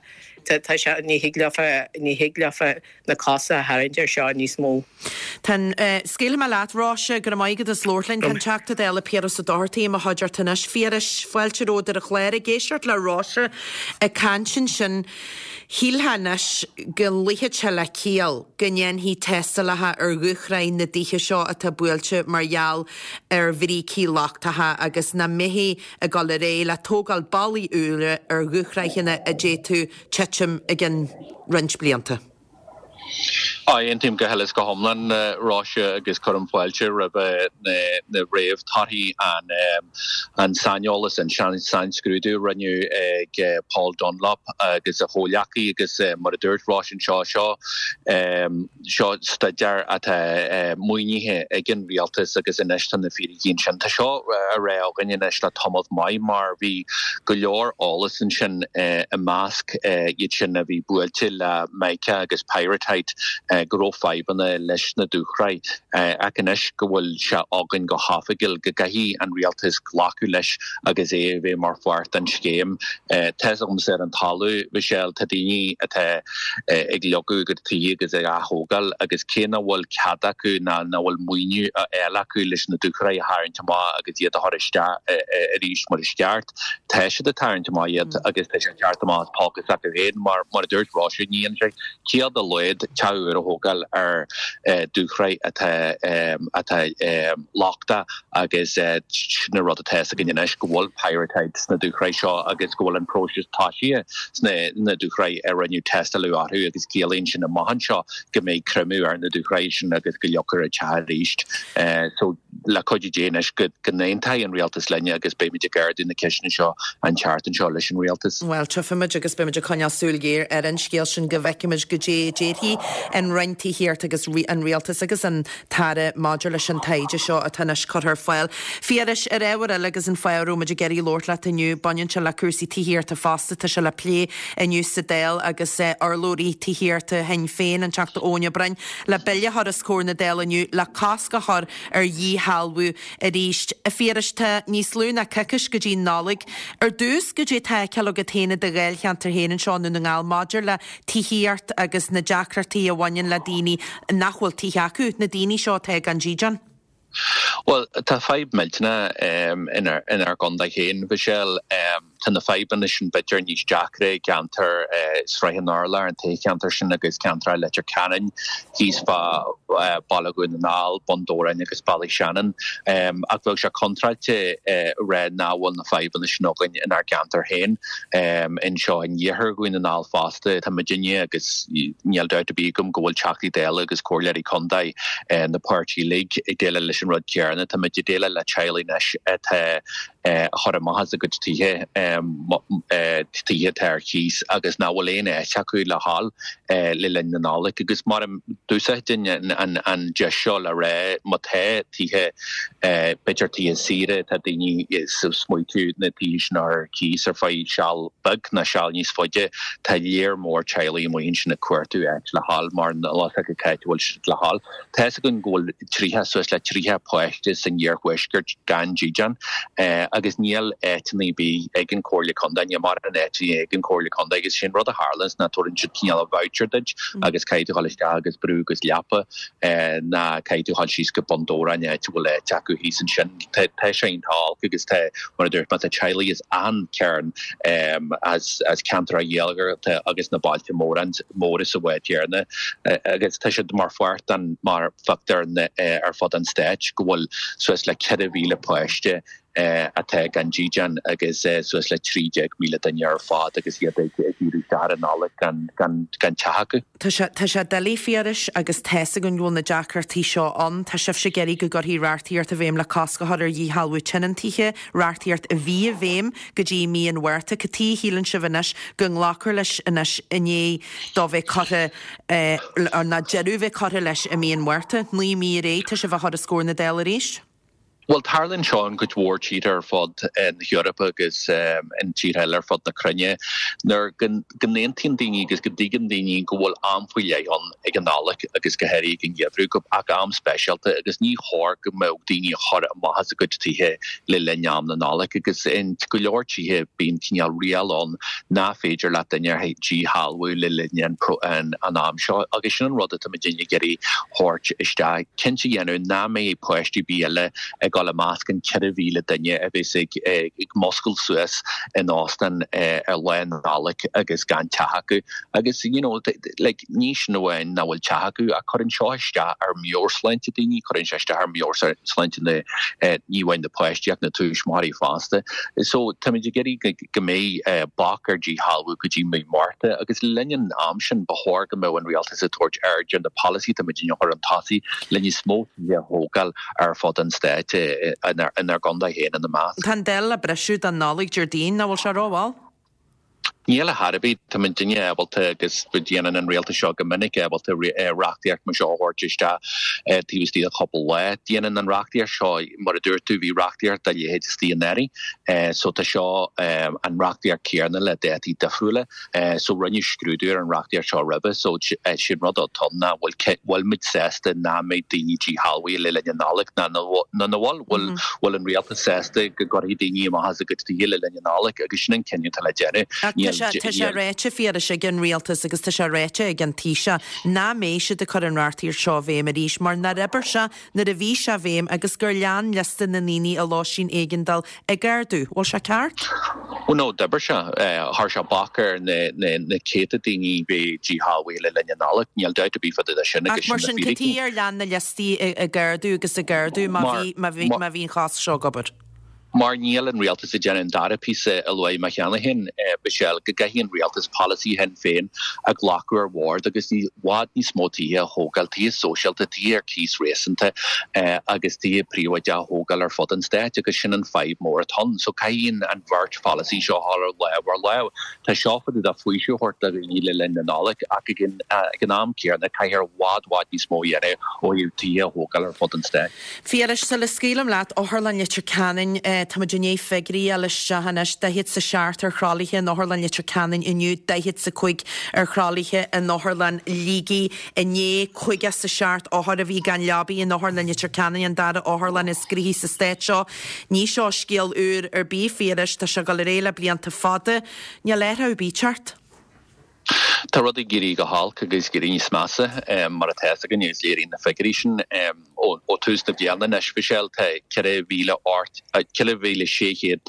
tá sé ní thig leofa ní thig leofa na cosa a tharraingt air seo níos mó. Tá an scaoilfidh mé leat Róise go raibh maith agat as labhairt linn. Tá an Teachta Dála Piaras Ó Dochartaigh i mo chuideachta anois. Phiarais, fáilte romhat ar an chlár ag éisteacht le Róise ag caint ansin. Shílfeá anois go luífeadh sé le ciall go ndéanfaí tástálacha ar dhúshraith na dtithe seo atá buailte mar gheall ar bhrící lochtacha agus nach mbeifí ag dul ar aghaidh le tógáil ballaí úra ar dhúshraitheanna a d'fhéadfadh titim i gcionn roinnt blianta. Aontaím go huile is go hiomlán Róise agus cuirim fáilte roimh na réamhthorthaí an an saineolas an sainscrúdú a rinneadh ag Paul Dunlop agus a chomhleacaí agus mar a dúirt Róise anseo seo seo staidéar atá maoinithe ag an rialtas agus anois tá na fíricí ansin. Tá seo á rá againn anois le tamall maith mar bhí go leor eolas ansin i measc iad sin a bhí buailte le mica agus pyrrhotite go raibh fadhbanna leis na dúshraith ach anois go bhfuil sé againn go hoifigiúil go gcaithfidh an rialtas glacadh leis agus é a bheith mar pháirt den scéim. Tá a fhios agamsa ar an talamh, Michelle, tá daoine atá ag leagadh a gcuid tithe agus ag aththógáil agus cé nach bhfuil cead acu ná nach bhfuil maoiniú á fháil acu leis na dúshraith a tharraingt amach agus iad a chur isteach arís mar is ceart, tá siad ag tarraingt amach iad agus tá sé ag teacht amach as póca s'acu féin mar mar a dúirt Róise, ní dhéanann sé ciall dá laghad teach úr a thógáil ar dúshraith atá atá lochtach agus sin an rud atá againn anois go bhfuil pyrrhotite sna dúshraith seo agus go bhfuil an próiseas tosaithe sna na dúshraith a rinneadh tástáil orthu agus ciallaíonn sin amach anseo go mbeidh creimeadh ar na dúshraith sin agus go leagfar an teach arís. So le cuidiú Dé anois go go n-aontóidh an rialtas linne agus beimid ag ardú na ceisteanna seo an tseachtain seo leis an rialtas. Bhuel, tchífimid agus beimid ag coinneáil súil ghéar ar an scéal sin go bhfeicfimid goidé a déarfaidh an Roinn Tithíochta agus an Rialtas agus an tAire maidir leis an taighde seo atá anois curtha ar fáil. Phiarais, ar ábhar eile agus an fáth a raibh muid ag iarraidh labhairt leat inniu, baineann sé le cúrsaí tithíochta fosta, tá sé le plé inniu sa Dáil agus urlabhraí tithíochta Shinn Féin, an Teachta Eoin Ó Broin, le bille a chur os comhair na Dála inniu le cosc a chur ar dhíshealbhú arís. A Phiarais, tá níos lú ná coicís go dtí an Nollaig. Ar dtús, goidé atá á fheiceáil agat féin i do dháilcheantar féin anseo i nDún na nGall maidir le tithíocht agus na deacrachtaí a bhaineann le daoine nach bhfuil tithe acu, na daoine seo atá gan dídean? Bhuel, tá fadhb millteanach inár inár gcontae féin, Michelle. Tá na fadhbanna sin b'fhéidir níos deacra i gceantar Sraith an Urláir, an toghcheantar sin agus ceantar Leitir Ceanainn, thíos fá Baile Dhún na nGall, Bun Dobhráin agus Ballyshannon. Ach bheadh sé contráilte a rá nach bhfuil na fadhbanna sin againn inár gceantar féin. Anseo in iarthar Dhún na nGall fosta, tá muidinne agus níl dabht ar bith agam go bhfuil Teachtaí Dála agus Comhairleoirí Contae na páirtí uilig ag déileáil leis leis an rud céanna. Táimid ag déileáil le teaghlaigh anois atá á chur amach as a gcuid tithe, tithe atá ar cíos agus nach bhfuil aon áit acu le dhul le linn na Nollag. Agus mar d'úsáidfinn an deis seo le rá má tá tithe, b'fhéidir tithe saoire, tá daoine ag smaoitiú na tithe sin ar cíos ar feadh seal beag nó seal níos faide, tá léar mór teaghlaigh amuigh ansin ag cuartú áit le dhul mar níl a fhios acu cá háit a bhfuil siad le dhul. Tá fhios againn go bhfuil tríocha, suas le tríocha páiste san iarthuaisceart gan dídean agus níl áiteanna ar bith ag an Chomhairle Contae, níl mórán áiteanna ag an Chomhairle Contae agus sin rud a tharlaíonns ná tabharann siad cineál voucher duit agus caithfidh tú dhul isteach agus brú agus leapa ná caithfidh tú dhul síos go Bun Dobhráin áit a bhfuil áit acu thíos ansin. Tá sé iontach olc agus tá, mar a dúirt mé, tá teaghlaigh as achan chearn as as ceantair Ghaeltachta agus na bailte móra móra sa bhád chéanna agus tá siad mar pháirt den mar phictiúr ar fud an stáit go bhfuil suas le ceithre mhíle páiste atá gan dídean agus suas le trí déag míle duine ar fad agus iad ag díriú isteach ar an Nollaig gan gan gan teach acu. Tá sé tá sé doiligh Phiarais agus tá fhios againn go bhfuil na deacrachtaí seo ann. Tá sibhse ag iarraidh go gcuirfí reachtaíocht i bhfeidhm le cosc a chur ar dhíshealbhú tionóntaithe, reachtaíocht a bhí i bhfeidhm go dtí mí an Mhárta. Cad chuige a shíleann sibh anois go nglacfar leis anois i ndiaidh dó bheith curtha ná deireadh a bheith curtha leis i mí an Mhárta? Naoi mí ar aghaidh tá sibh á chur os comhair na Dála arís? Bhuel, tarlaíonn seo in cuid mhór tíortha ar fud na hEorpa agus in tíortha eile ar fud na cruinne, nuair go n-aontaíonn daoine agus go dtuigeann daoine go bhfuil am faoi leith ann ag an Nollaig agus go háirithe ag an gheimhreadh, go ach am speisialta agus ní chóir go mbeadh daoine á chur amach as a gcuid tithe le linn am na Nollag agus in go leor tithe bíonn cineál riail ann nach féidir leat duine a dhíshealbhú le linn an an am seo agus sin an rud atá muid ag iarraidh thabhairt isteach, cinnte a dhéanamh nach mbeidh páistí ar bith eile ag dul i measc an ceithre mhíle duine a bheas ag ag muscailt suas in óstán ar Lá Nollag agus gan teach acu. Agus you know like ní sin amháin nach bhfuil teach acu ach cuireann seo isteach ar mheabhairshláinte daoine, cuireann sé isteach ar mheabhairshláinte na ní amháin na páistí ach na tuismitheoirí fosta. So táimid ag iarraidh go mbeidh bac ar díshealbhú go dtí mí Márta agus le linn an am sin ba chóir go mbeadh an rialtas ag tabhairt aird ar na polasaithe táimid a chur chun tosaigh le níos mó tithe a thógáil ar fud an stáit inár gcontae féin ina measc. Tá an Dáil le briseadh don Nollaig Déardaoin, nach bhfuil sé rómhall? Níl ar chor ar bith. Tá muidinne ábalta agus déanann an rialtas seo go minic ábalta reachtaíocht mar seo a thabhairt isteach taobh istigh de chúpla lá. Déanann an reachtaíocht seo, mar a dúirt tú, bhí reachtaíocht dá leithéid istigh anuraidh so tá seo an reachtaíocht céanna le dátaí difriúla so rinneadh scrúdú ar an reachtaíocht seo roimhe so sin rud atá ann ná bhfuil bhfuil muid sásta nach mbeidh daoine díshealbhaithe le linn na Nollag ná nó bhfuil bhfuil bhfuil an rialtas sásta go gcuirfidh daoine amach as a gcuid tithe le linn na Nollag agus sin an cinneadh atá le déanamh. Tá sé ráite Phiarais ag an rialtas agus tá sé ráite ag an Taoiseach nach mbeidh siad ag cur an reachtaíocht seo i bhfeidhm arís mar nár oibir sé nuair a bhí sé i bhfeidhm agus gur lean liosta na ndaoine i lóistín éigeandáil ag ardú. Bhfuil sé ceart? Ó no, d'oibir sé. Chuir sé bac ar na céadta daoine bheith díshealbhaithe le linn na Nollag. Níl dabht ar bith fá dtaobh de sin agus sin Ach mar na sin, cad fíricí. chuige ar lean na liostaí ag ardú agus ag ardú má bhí má bhí má bhí an chosc seo ag obair? Mar níl an rialtas ag déanamh an dara píosa a luaigh mé cheana féin, Michelle, go gcaithfidh an rialtas polasaí Shinn Féin a ghlacadh ar bhord agus i bhfad níos mó tithe a thógáil, tithe sóisialta, tithe ar cíos réasúnta agus tithe príobháideacha a thógáil ar fud an stáit agus sin an fadhb mór atá ann. So caithfidh an bheirt pholasaí seo a dhul ar lámh ar lámh. Tá seo fá dtaobh de faoiseamh a thabhairt do dhaoine le linn na Nollag ach ag an am céanna caithfear i bhfad bhfad níos mó a dhéanamh ó thaobh tithe a thógáil ar fud an stáit. Phiarais, sula scaoilim leat, Otharlann Leitir Ceanainn, Tá muid i ndiaidh figiúirí a fháil isteach anois, daichead 's a seacht ar thralaithe in Otharlann Leitir Ceanainn inniu, daichead 's a cúig ar thralaithe in Otharlann Shligigh inné, caoga 's a seacht othar a bhí gan leabaí in Otharlann Leitir Ceanainn, an dara otharlann is gnoithí sa stát seo. Ní seo scéal úr ar bith, Phiarais, tá sé ag dul ar aghaidh le blianta fada. Níl athrú ar bith ag teacht. Tá rudaí ag éirí go holc agus ag éirí níos measa, mar atá fhios againn agus léiríonn na figiúirí sin. Ó tús na bliana anois, Michelle, tá ceithre mhíle ocht, ceithre mhíle sé chéad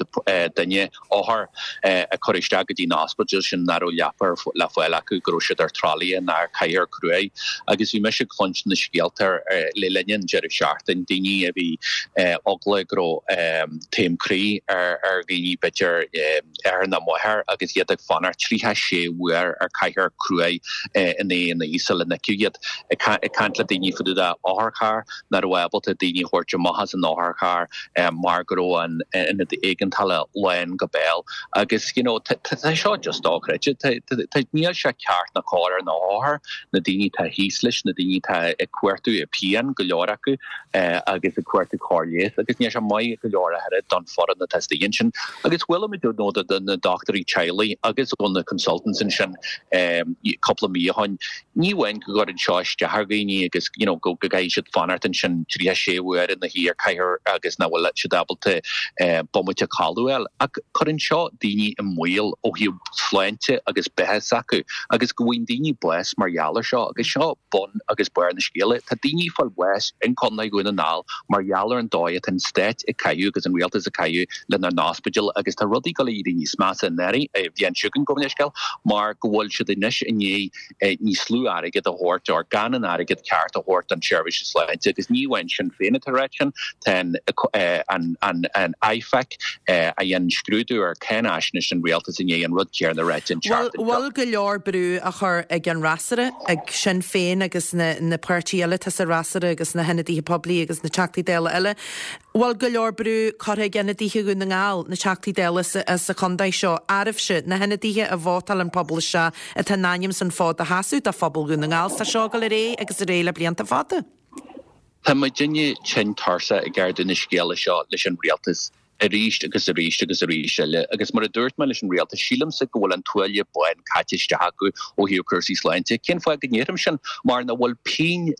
duine, othar, a cuireadh isteach go dtí na hospidéil sin nach raibh leapa le fáil acu, go raibh siad ar tralaithe nó ar chathaoir cruaidh. Agus bhí mise ag cluinstin na scéalta le linn an deireadh seachtaine, daoine a bhí eagla go raibh taom croí ar dhaoine, b'fhéidir athair nó máthair, agus iad ag fanacht tríocha sé uair ar chathaoir cruaidh i ndiaidh an oíche sula n-fheicfeadh iad. Ag caint le daoine fá dtaobh de otharcharr nach raibh ábalta daoine a thabhairt amach as an otharcharr mar go raibh an ionad éigeandála lán go béal agus you know tá seo just dochreidte níl sé ceart ná cóir ar na hothair na daoine atá thíos leis na daoine atá ag cuartú i pian go leor acu agus ag cuartú cóir leighis agus níl sé maith go leor a thuilleadh don foireann atá istigh ansin agus chuala muid ó na dochtúirí teaghlaigh agus ó na consultants ansin cúpla mí ó shin ní amháin go gcuireann seo isteach ar dhaoine agus you know go gcaithfidh siad fanacht ansin tríocha sé uair ina shuí ar cathaoir agus nach bhfuil siad ábalta bomaite codladh a fháil ach cuireann seo daoine i mbaol ó thaobh sláinte agus beatha s'acu agus go bhfaigheann daoine bás mar gheall ar seo agus seo bun agus barr na scéala. Tá daoine ag fáil bháis in Contae Dhún na nGall mar gheall ar an dóigh atá an stát ag caitheamh agus an rialtas ag caitheamh lenár n-ospidéil agus tá rudaí ag dul a éirí níos measa an bhliain seo chugainn gabh mo leithscéal mar go bhfuil siad anois i ndiaidh níos lú airgead a thabhairt or gan an airgead ceart a thabhairt don tseirbhís sláinte agus ní amháin Sinn Féin atá ag ráit sin tá an an an IFAC a dhein scrúdú ar cháinaisnéis an rialtas i ndiaidh an rud céanna a ráit an tseachtain seo. Bhfuil go leor brú á chur ag an fhreasúra, ag Sinn Féin agus na na páirtithe eile atá sa fhreasúra agus na hionadaithe poiblí agus na Teachtaí Dála eile, bhfuil go leor brú curtha ag ionadaithe Dhún na nGall, na Teachtaí Dála sa, sa chontae seo, oraibhse, na hionadaithe a vótáil an pobal isteach atá a n-ainm san fód a sheasamh do phobal Dhún na nGall. Tá seo ag dul ar aghaidh agus ar aghaidh le blianta fada. Tá muidinne tinn tuirseach ag ardú na scéala seo leis an rialtas arís agus arís agus arís eile agus mar a dúirt mé leis an rialtas sílimse go bhfuil an tuaille bán caite isteach acu ó thaobh cúrsaí sláinte. Cén fáth go ndeirim sin mar nach bhfuil pingin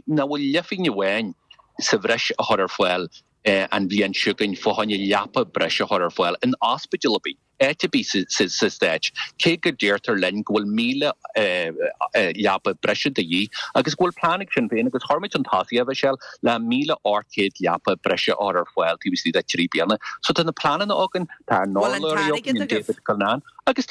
nach bhfuil leathphingin amháin sa bhreis a chur ar fáil an bhliain seo chugainn fá choinne leapa breise a chur ar fáil in ospidéal ar bith. áit ar bith sa stát, cé go deirtear linn go bhfuil míle leapa breise de dhíth agus go bhfuil plean ag Sinn Féin agus chuir muid chun tosaigh a Mhichelle le míle ocht gcéad leapa breise a chur ar fáil taobh istigh de trí bliana. So tá na pleananna againn, tá ár n-urlabhraí againn, David Cullinane, agus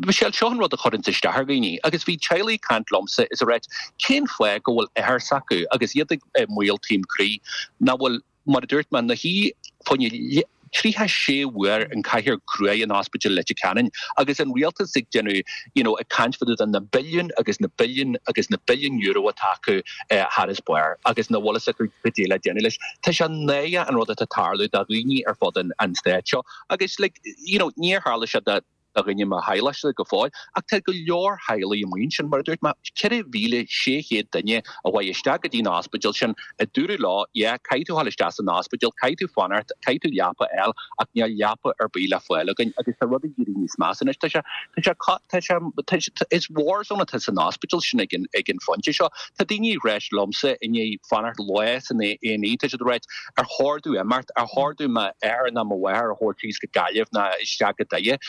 Michelle, seo an rud a chuireann isteach ar dhaoine agus bhí teaghlaigh ag caint liomsa is ag ráit cén fáth go bhfuil othair s'acu agus iad i mbaol taom croí nach bhfuil mar a dúirt mé ina shuí fá choinne tríocha sé uair in cathaoir cruaidh in Ospidéal Leitir Ceanainn agus an rialtas ag déanamh you know ag caint fá dtaobh de na billiúin agus na billiúin agus na billiúin euro atá acu thar is barr agus nach bhfuil fhios acu cad é le déanamh leis. Tá sé náireach an rud atá ag tarlú do dhaoine ar fud an an stáit seo agus like you know níor tharla sé do do dhuine mo theaghlachsa go fóill, ach tá go leor teaghlaigh amuigh ansin, mar a dúirt mé, ceithre mhíle sé chéad duine a chuaigh isteach go dtí an ospidéal sin, a dúradh leo, yeah, caithfidh tú dhul isteach san ospidéal, caithfidh tú fanacht, caithfidh tú leapa a fháil, ach níl leapa ar bith le fáil againn agus tá rudaí ag éirí níos measa anois. Tá sé, tá sé, tá sé, tá sé, is war zone atá san ospidéal sin ag an, ag an phointe seo. Tá daoine ag ráit liomsa i ndiaidh fanacht lá san A and E, tá siad ag ráit, ar chóir domh imeacht, ar chóir domh m'athair ná mo mháthair a thabhairt síos go Gaillimh ná isteach go Doire.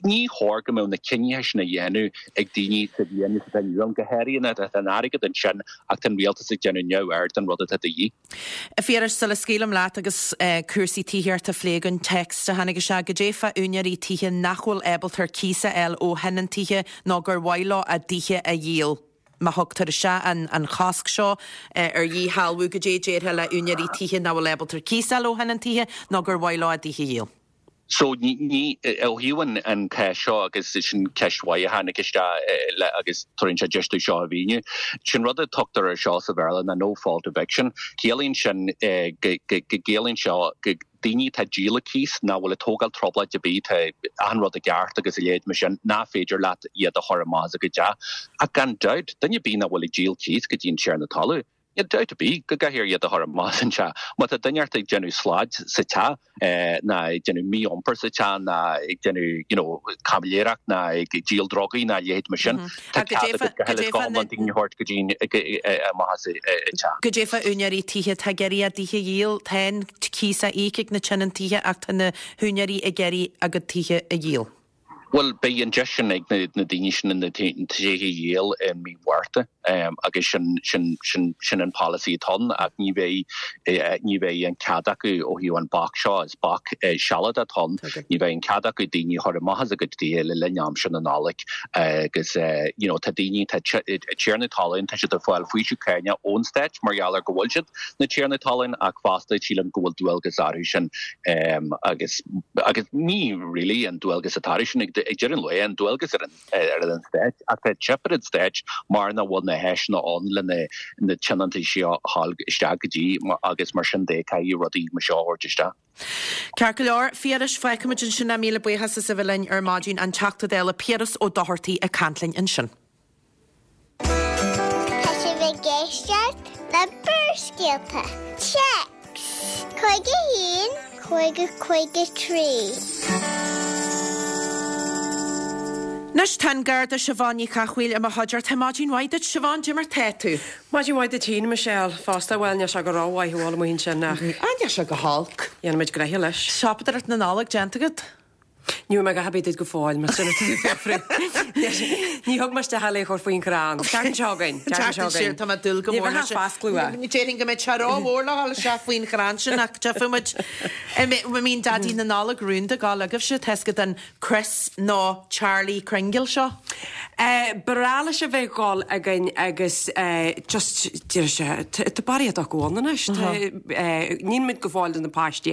Ní chóir go mbeadh na cinnithe sin a dhéanamh ag daoine sa bhliain is atá inniu ann, go háirithe nuair atá an airgead ansin ach tá an rialtas ag déanamh neamhaird den rud atá de dhíth. A Phiarais, sula scaoilim leat agus cúrsaí tithíochta á phlé againn, téacs a tháinig isteach, goidé fá úinéirí tithe nach bhfuil ábalta ar cíos a fháil ó thionóntaithe nó gur mhaith leo a dtithe a dhíol. Má thugtar isteach an an chosc seo ar dhíshealbhú, goidé déarfá le úinéirí tithe nach bhfuil ábalta ar cíos a fháil ó thionóntaithe nó gur mhaith leo a dtithe a dhíol? So ní ní ó thaobh an an ceist seo agus sin ceist mhaith a tháinig isteach le agus tugann sé deis dúinn seo a mhíniú. Sin rud a tugtar ar seo sa Bhéarla ná no fault eviction. Ciallaíonn sin go go gciallaíonn seo go daoine atá ag díol cíos nach bhfuil ag tógáil trioblóid ar bith tá achan rud i gceart agus a leithéid mar sin nach féidir leat iad a chur amach as a gcuid teach. Ach gan dabht, duine ar bith nach bhfuil ag díol cíos go dtí an tiarna talaimh, Níl dabht ar bith go gcaithfear iad a chur amach as an teach. Má tá duine ort ag déanamh slaid sa teach ná ag déanamh mí-iompar sa teach ná ag déanamh you know caimiléireacht ná ag díol drugaí ná a leithéid mar sin, tá cead agat go huile is go hiomlán daoine a thabhairt go dtí amach as an teach. Goidé fá úinéirí tithe atá ag iarraidh a dtithe a dhíol, tá an cíos á íoc ag na tionóntaithe ach tá na húinéirí ag iarraidh a gcuid tithe a dhíol. Bhuel, beidh an deis sin ag na daoine sin na tithe a dhíol i mí Mhárta agus sin sin sin sin an polasaí atá ann ach ní bheidh ní bheidh an cead acu ó thaobh an bac seo, is bac sealadach atá ann, ní bheidh an cead acu daoine a chur amach as a gcuid tithe le linn aimsir na Nollag agus you know tá daoine tá tiarnaí talún tá siad ag fáil faoiseamh cáinne ón stát mar gheall ar go bhfuil siad na tiarnaí talún ach fosta sílim go bhfuil dualgas orthu sin agus agus ní really an dualgas atá orthu sin ag ag deireadh an lae an dualgas ar an ar an stát ach tá teip ar an stát mar nach bhfuil na háiseanna ann le na na tionóntaí seo a fháil isteach go dtí agus mar sin de caithfidh rudaí mar seo a thabhairt isteach. Ceart go leor, Piaras, fágfaimid ansin é. Míle buíochas as a bheith linn ar maidin an Teachta Dála Piaras Ó Dochartaigh ag caint linn ansin. Tá sibh ag éisteacht le Barrscéalta. Téacs cúig a haon cúig a cúig a trí. Anois tá an Garda Siobhán Ní Chathmhaoil i mo chuideachta. Maidin mhaith duit Siobhán, cad é mar tá tú. Maidin mhaith duit féin, Michelle, fosta bhuel níl sé go rómhaith thall amuigh ansin ach. Á níl sé go holc. Dhéanfaimid gnoithe leis. Siopadóireacht na Nollag déanta agat? Ní raibh mé go habaí duit go fóill mar sin fiafraí. Ní thug mé isteach le chur faoin chrann. Ceart seo againn. Ceart sin tá mé ag dúil go mór leis. Ní déarfainn go mbeidh sé rómhór le dhul isteach faoin chrann sin ach tchífidh muid. Mbíonn Daidí na Nollag rúnda ag gabháil agaibhse tá a fhios agat an Chris nó Charlie Kringle seo? Ba bhreá leis a bheith ag gabháil againn agus just deir sé tá barraíocht acu ann anois. Níl muid go fóill do na páistí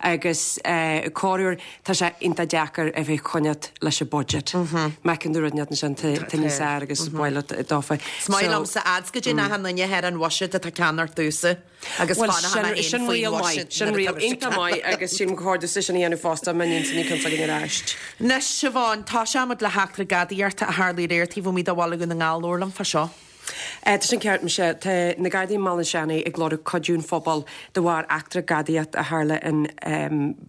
agus corruair tá sé iontach deacair a bheith coinneáil leis an budget. Meacann tú rud inteacht ansin tá níos fearr agus baile dófa. Is maith liomsa ads go dtí achan duine ar an bhuiséad atá ceann ort dúsa. Agus Well, fanfaidh mé sin féin faoin riail maith, bhuiséad sin nuair riail atá mise iontach maith agus sin go chóir duitse sin a dhéanamh fosta má níonn ní ceann s'againn ar ais. Anois Siobhán, tosóimid le heachtra gadaíochta a tharla aréir taobh amuigh de Bhaile Dhún na nGall labhair liom fá seo. Tá sin ceart Michelle, tá na Gardaí i mBaile an tSeanaigh ag lorg cuidiú an phobail de bharr eachtra gadaíocht a tharla in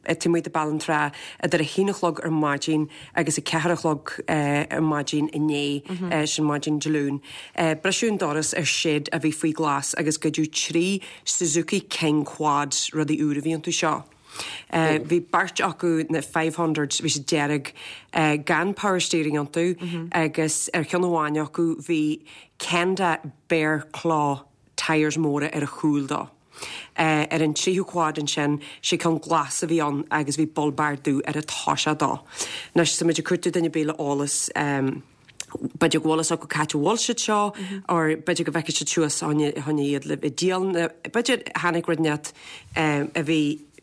taobh amuigh de Bealach na Trá idir a haon a chlog ar maidin agus a ceathair a chlog ar maidin inné, sin maidin Dé Luain. Briseadh an doras ar shed a bhí faoi ghlas agus goideadh trí Suzuki King Quads, rudaí úr a bhí iontu seo. Bhí beirt acu na five hundreds, bhí siad dearg, gan power steering iontu agus ar cheann amháin acu bhí Kenda Bear Claw tyres móra ar a chúl dó. Ar an tríú quad ansin, sé ceann glas a bhí ann agus bhí bull bar dubh ar an toiseach dó. Anois, tá muid ag cuartú duine ar bith le eolas, b'fhéidir go bhfuil fhios acu cá háit a bhfuil siad seo or b'fhéidir go bhfeicfidh siad suas choinne iad le díol. B'fhéidir tháinig rud inteacht a bhí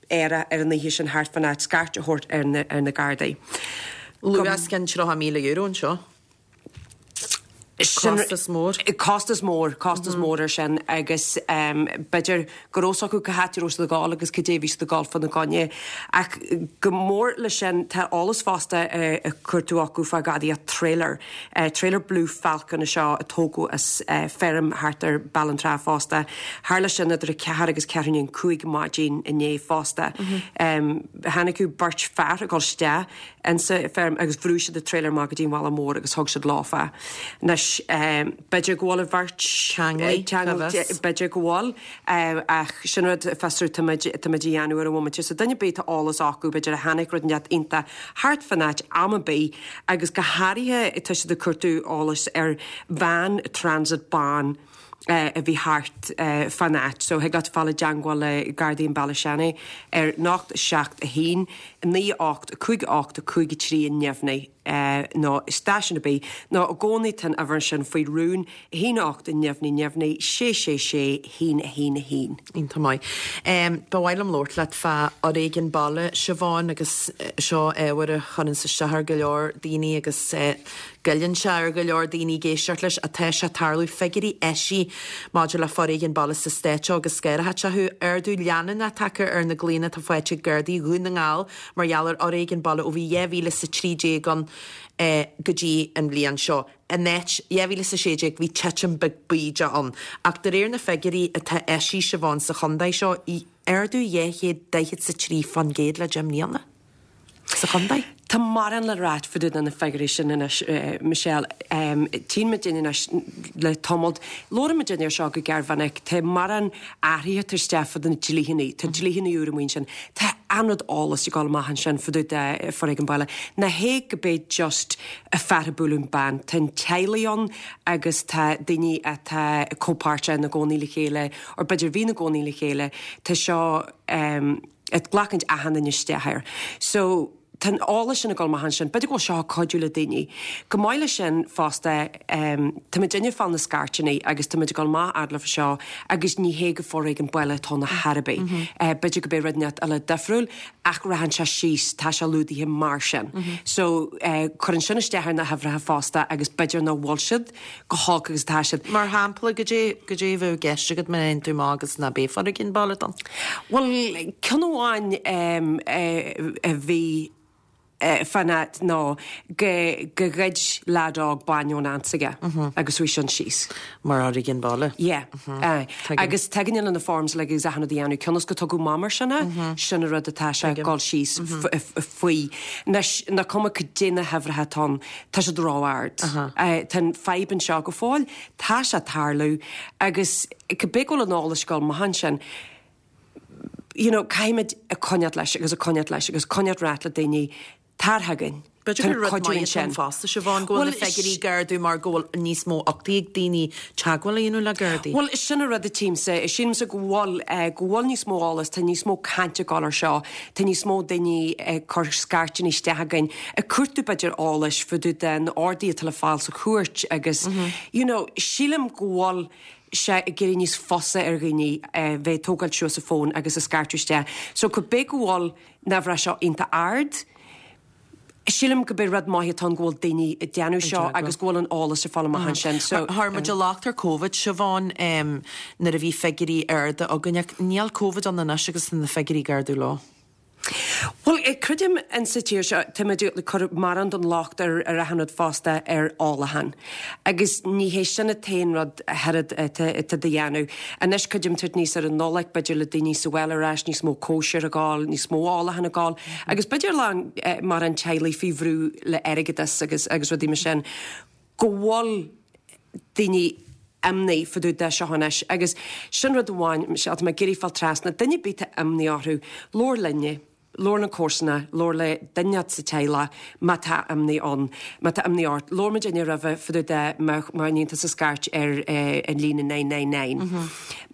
aerach ar an oíche sin thart fan áit scairt a thabhairt ar na, ar na Gardaí. Luach os cionn tríocha míle euro anseo. Costas mór. Costas mór, costas mór ar sin agus b'fhéidir go raibh fhios acu cá háit a raibh siad ag gabháil agus cad é a bhí siad ag gabháil fána gcoinne. Ach go mór leis sin tá eolas fosta ag cuartú acu fá ghadaíocht trailer. Trailer Blue Falcon é seo a tógadh as feirm thart ar Bealach na Trá fosta. Tharla sin idir a ceathair agus ceathrú i ndiaidh a cúig maidin inné fosta. Tháinig beirt fear ag dul isteach insa feirm agus bhrúigh siad an trailer amach go dtí an bhealach mór agus thug siad leofa. Anois, b'fhéidir go bhfuil an bheirt Ceanglaithe, b'fhéidir go bhfuil, ach sin rud fiosrú tá muid tá muid a dhéanamh ar an bhomaite. So duine ar bith tá eolas acu, b'fhéidir a chonaic rud inteacht iontach thart fan áit am ar bith agus go háirithe tá siad ag cuartú eolais ar veain Transit bán a bhí thart fan áit. So thig leat fáil i dteangmháil le Gardaí an Bhaile Seanaidh ar nocht seacht a haon, naoi ocht, cúig ocht, cúig a trí neamhní nó stáisiún ar bith nó i gcónaí tá an uimhir sin faoi rún, a haon ocht neamhní neamhní, sé sé sé, haon a haon a haon. Iontach maith. Ba mhaith liom labhairt leat fá fhoréigean baile, Siobhán, agus seo ábhar a chuireanns isteach ar go leor daoine agus goilleann sé ar go leor daoine ag éisteacht leis atá sé ag tarlú. Figiúirí eisithe maidir le foréigean baile sa stát seo agus scaireacha acu. Ardú leanúnach tagtha ar na glaonna atá faighte ag Gardaí Dhún na nGall mar gheall ar fhoréigean baile ó bhí dhá mhíle is a trí déag ann go dtí an bhliain seo. In áit dhá mhíle is a sé déag bhí titim beag bídeach ann. Ach de réir na figiúirí atá eisithe Siobhán sa chontae seo, ardú dhá chéad daichead is a trí faoin gcéad le deich mbliana sa chontae. Tá mórán le ráit fá dtaobh de na figiúirí sin anois, Michelle. Tchíonn muid anois le tamall, labhrann muid air seo go géarmhinic, tá mórán athruithe tar isteach fá dtaobh de na dlítheanna, tá dlítheanna úr amuigh ansin, tá an-rud eolas ag dul amach ansin fá dtaobh de foréigean baile. Ná hé go b'é just fear ag bualadh an bean, tá an teaghlaigh ann agus tá daoine atá comhpháirteach ina gcónaí le chéile, or b'fhéidir bhí ina gcónaí le chéile, tá seo ag glacaint achan duine isteach air. So, tá an eolas sin ag dul amach ansin, b'fhéidir go bhfuil seo ag cuidiú le daoine. Chomh maith leis sin fosta, tá muid ag fáil na scairteanna agus tá muid ag dul amach fhad leofa seo agus ní hé go foréigean baile atá ann ar chor ar bith. B'fhéidir go b'é rud inteacht eile difriúil ach rachann sé síos, tá sé lúdaithe mar sin. So cuireann sin isteach ar na huimhreacha fosta agus b'fhéidir nach bhfuil siad chomh holc agus atá siad. Mar shampla, goidé, goidé a bheadh i gceist agat má théann tú amach agus ná beidh foréigean baile ann? Bhuel, ceann amháin a bhí fán áit ná go go ghoid leaid óg bainne ón aunt s'aige agus chuaigh sin síos. Mar fhoréigean baile? Yeah. Aye. Agus tagann na forms le agus achan rud a dhéanamh cionn is go tugadh amach mar sin é, sin an rud atá sé ag dul síos faoi. Anois, nach cuma goidé na huimhreacha atá ann, tá siad ró-ard. Tá an fadhb anseo go fóill, tá sé ag tarlú agus cibé go bhfuil an eolas ag dul amach ansin, you know, caithfimid ag coinneáil leis agus ag coinneáil leis agus coinneáil ag ráit le daoine, tar chugainn. B'fhéidir gur rud maith atá ann fosta, Siobhán, go bhfuil na figiúirí ag ardú mar go bhfuil níos mó uchtaí ag daoine teagmháil a dhéanamh le Gardaí. Bhuel, sin an rud a tchímse. Sílimse go bhfuil, go bhfuil níos mó eolas, tá níos mó cainte ag dul ar seo, tá níos mó daoine ag cur scairteanna isteach againn, ag cuartú b'fhéidir eolais fá dtaobh de na orduithe atá le fáil sa chúirt agus, you know, sílim go bhfuil sé ag éirí níos fusa ar dhaoine bheith ag tógáil suas a fón agus ag scairteadh isteach. So cibé go bhfuil na huimhreacha seo iontach ard, sílim go b'é rud maith atá ann go bhfuil daoine ag déanamh seo agus go bhfuil an eolas ar fáil amach ansin. So Chuir muid an locht ar Covid, Siobhán, nuair a bhí figiúirí arda againn ach níl Covid ann anois agus tá na figiúirí ag ardú leo. Bhuel, creidim in sa tír seo, táimid ag cur mórán den locht ar ar achan rud fosta ar ólachán. Agus ní hé sin an t-aon rud a oiread atá de dhéanamh. Anois creidim tabhairt níos ar an Nollaig, b'fhéidir le daoine sa bhaile ar ais, níos mó cóisir ag gabháil, níos mó ólachán ag gabháil, agus b'fhéidir lá mar an teaghlaigh faoi bhrú le airgeadas agus agus rudaí mar sin, go bhfuil daoine imní fá dtaobh de seo anois. Agus sin rud amháin, Michelle, tá mé ag iarraidh fáil trasna, duine ar bith atá imní orthu, labhair linne, labhair le comharsana, labhair le duine sa teaghlach má tá imní ann, má tá imní ort. Labhair muidinne roimhe fá dtaobh de má má níonn tusa scairt ar an líne nine nine nine.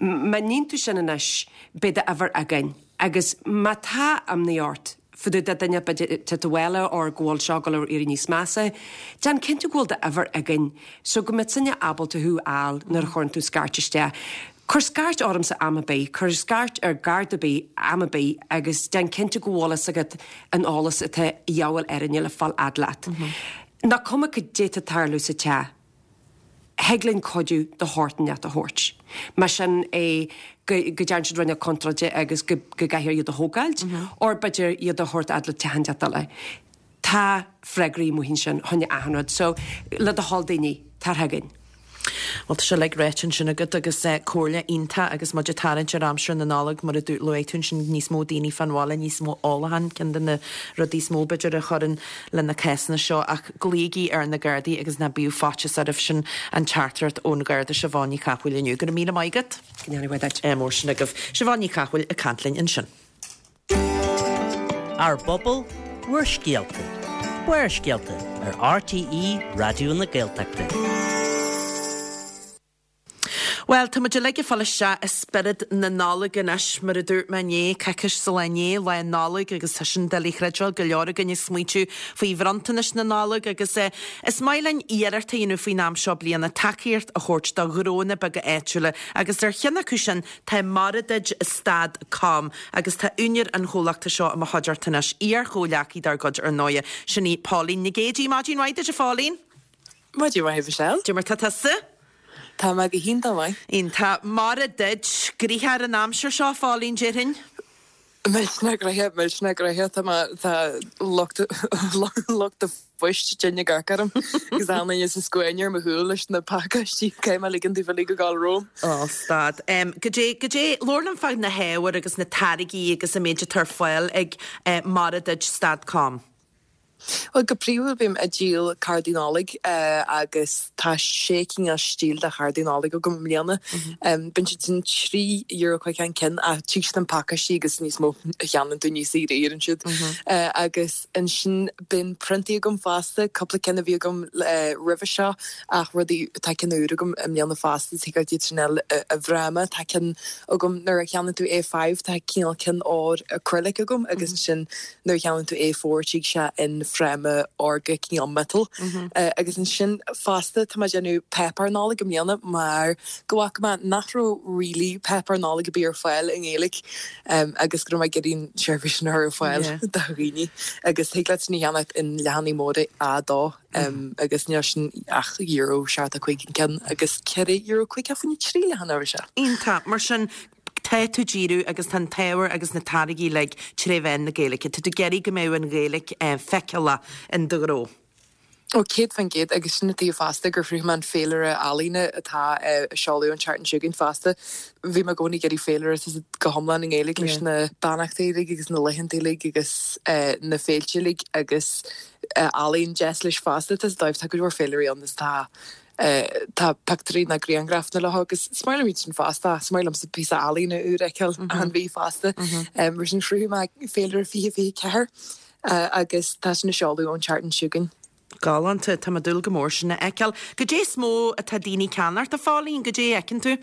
Má níonn tú sin anois, beidh d'uimhir againn. Agus má tá imní ort fá dtaobh de duine b'fhéidir te do bhaile or go bhfuil seo ag dul ar éirí níos measa, déan cinnte go bhfuil d'uimhir againn so go mbeidh sinne ábalta thú a fháil nuair a chuireann tú scairt isteach. Cuir scairt ormsa am ar bith, cuir scairt ar Gharda ar bith am ar bith agus déan cinnte go bhfuil fhios agat an eolas atá a dhíobháil orainne le fáil fhad leat. Nach cuma goidé atá ag tarlú sa teach, thig linn cuidiú de shórt inteacht a thabhairt. Más sin é go go dtearn siad rud inteacht contráilte agus go go gcaithfear iad a thógáilt, or b'fhéidir iad a thabhairt fhad le teach inteacht eile. Tá freagraí amuigh ansin chun achan rud, so le do thoil daoine, tar chugainn. Bhuel, tá sé uilig ráite ansin agat agus comhairle iontach agus muid ag tarraingt ar aimsir na Nollag mar a luaigh tú ansin níos mó daoine fán bhaile, níos mó ólacháin, ceann de na rudaí is mó b'fhéidir a chuireann le na cásanna seo ach glaoigí ar na Gardaí agus ná bíodh faitíos oraibh sin an teachtaireacht ón Gharda Siobhán Ní Chathmhaoil inniu. Go raibh míle maith agat. Go ndéana Dia duit. Mór sin agaibh. Siobhán Ní Chathmhaoil ag caint linn ansin. Ár bpobal, bhur scéalta. Barrscéalta ar RTÉ Raidió na Gaeltachta. Bhuel, tá muid uilig ag fáil isteach i spiorad na Nollag anois, mar a dúirt mé inné, coicís sa lá inné, lá Nollag agus tá sin doiligh a chreidbheáil, go leor againn ag smaointiú faoi bhronntanais na Nollag agus eh, is maith linn iarracht a dhéanamh faoin am seo bliana tacaíocht a thabhairt do ghnónna beaga áitiúla agus ar cheann acu sin tá Maredudd Stad Com agus tá úinéir an chomhlachta seo i mo chuideachta anois, iar-chomhghleacaí dár gcuid ar ndóighe, sin í Pauline Nic Géadaigh. Maidin mhaith duit a Phauline. Maidin mhaith Michelle. Cad é mar tá tusa? Tá mé go hiontach maith. Iontach. Maredudd, gnoitheach ar an aimsir seo, a Phauline, déarfainn? Millteanach gnoitheach, millteanach gnoitheach, tá mé, tá lucht lucht an phoist tinn ag amharc orm agus achan duine sa scuaine ar mo chúl leis na pacáistí, caithfidh mé ligean daofa uilig a ghabháil romham. Ó, stad. Goidé, goidé, labhair liom fá na hábhair agus na táirgí agus an méid atá ar fáil ag Maredudd Stad Com. Well go príomha bím ag díol cárdaí Nollag agus tá sé cineál stíl de chárdaí Nollag agam i mbliana. Bíonn siad sin trí euro caoga an ceann ach tig siad in pacáistí agus níos mó a cheannaíonn tú níos saoire a éiríonn siad. Agus ansin bíonn priontaí agam fosta, cúpla ceann a bhí agam roimhe seo ach rudaí tá cinn úr agam i mbliana fosta thig leat iad sin a fháil i bhfráma. Tá ceann agam nuair a cheannaíonn tú A five tá cineál ceann ór acrylic agam agus ansin nuair a cheannaíonn tú A four tig sé in fráma órga cineál metal. Agus ansin fosta tá mé ag déanamh páipéar Nollag i mbliana mar go bhfaca mé nach raibh really páipéar Nollag ar bith ar fáil i nGaeilge agus go raibh mé ag iarraidh an seirbhís sin a chur ar fáil do dhaoine agus thig leat sin a cheannacht in leathanaigh móra A dó agus níl sin ach euro seachtó cúig an ceann agus ceithre euro caoga fá choinne trí leathanach a bhí sé. Iontach. Mar sin tá tú ag díriú agus tá an t-ábhar agus na táirgí uilig tré mheán na Gaeilge. Tá tú ag iarraidh go mbeadh an Ghaeilge feiceálach in do ghnó. Ó céad faoin gcéad agus sin an tuige fosta gur chruthaigh mé an féilire ealaíne atá ag seoladh an tseachtain seo chugainn fosta. Bhí mé i gcónaí ag iarraidh féilire go hiomlán i nGaeilge leis na beannachtaí uilig agus na laethanta uilig agus na féilte uilig agus ealaín deas leis fosta. Tá tá go leor féilirí ann is tá tá pictiúirí nó grianghrafanna leo agus is maith liom iad sin fosta, is maith liomsa píosa ealaíne úr a fheiceáil achan mhí fosta. Mar sin chruthaigh mé féilire fiche fiche ceathair agus tá sin ag seoladh ón tseachtain seo chugainn. Galánta, tá mé ag dúil go mór sin a fheiceáil. Goidé is mó atá daoine ag ceannacht, a Phóilín, goidé a fheiceann tú?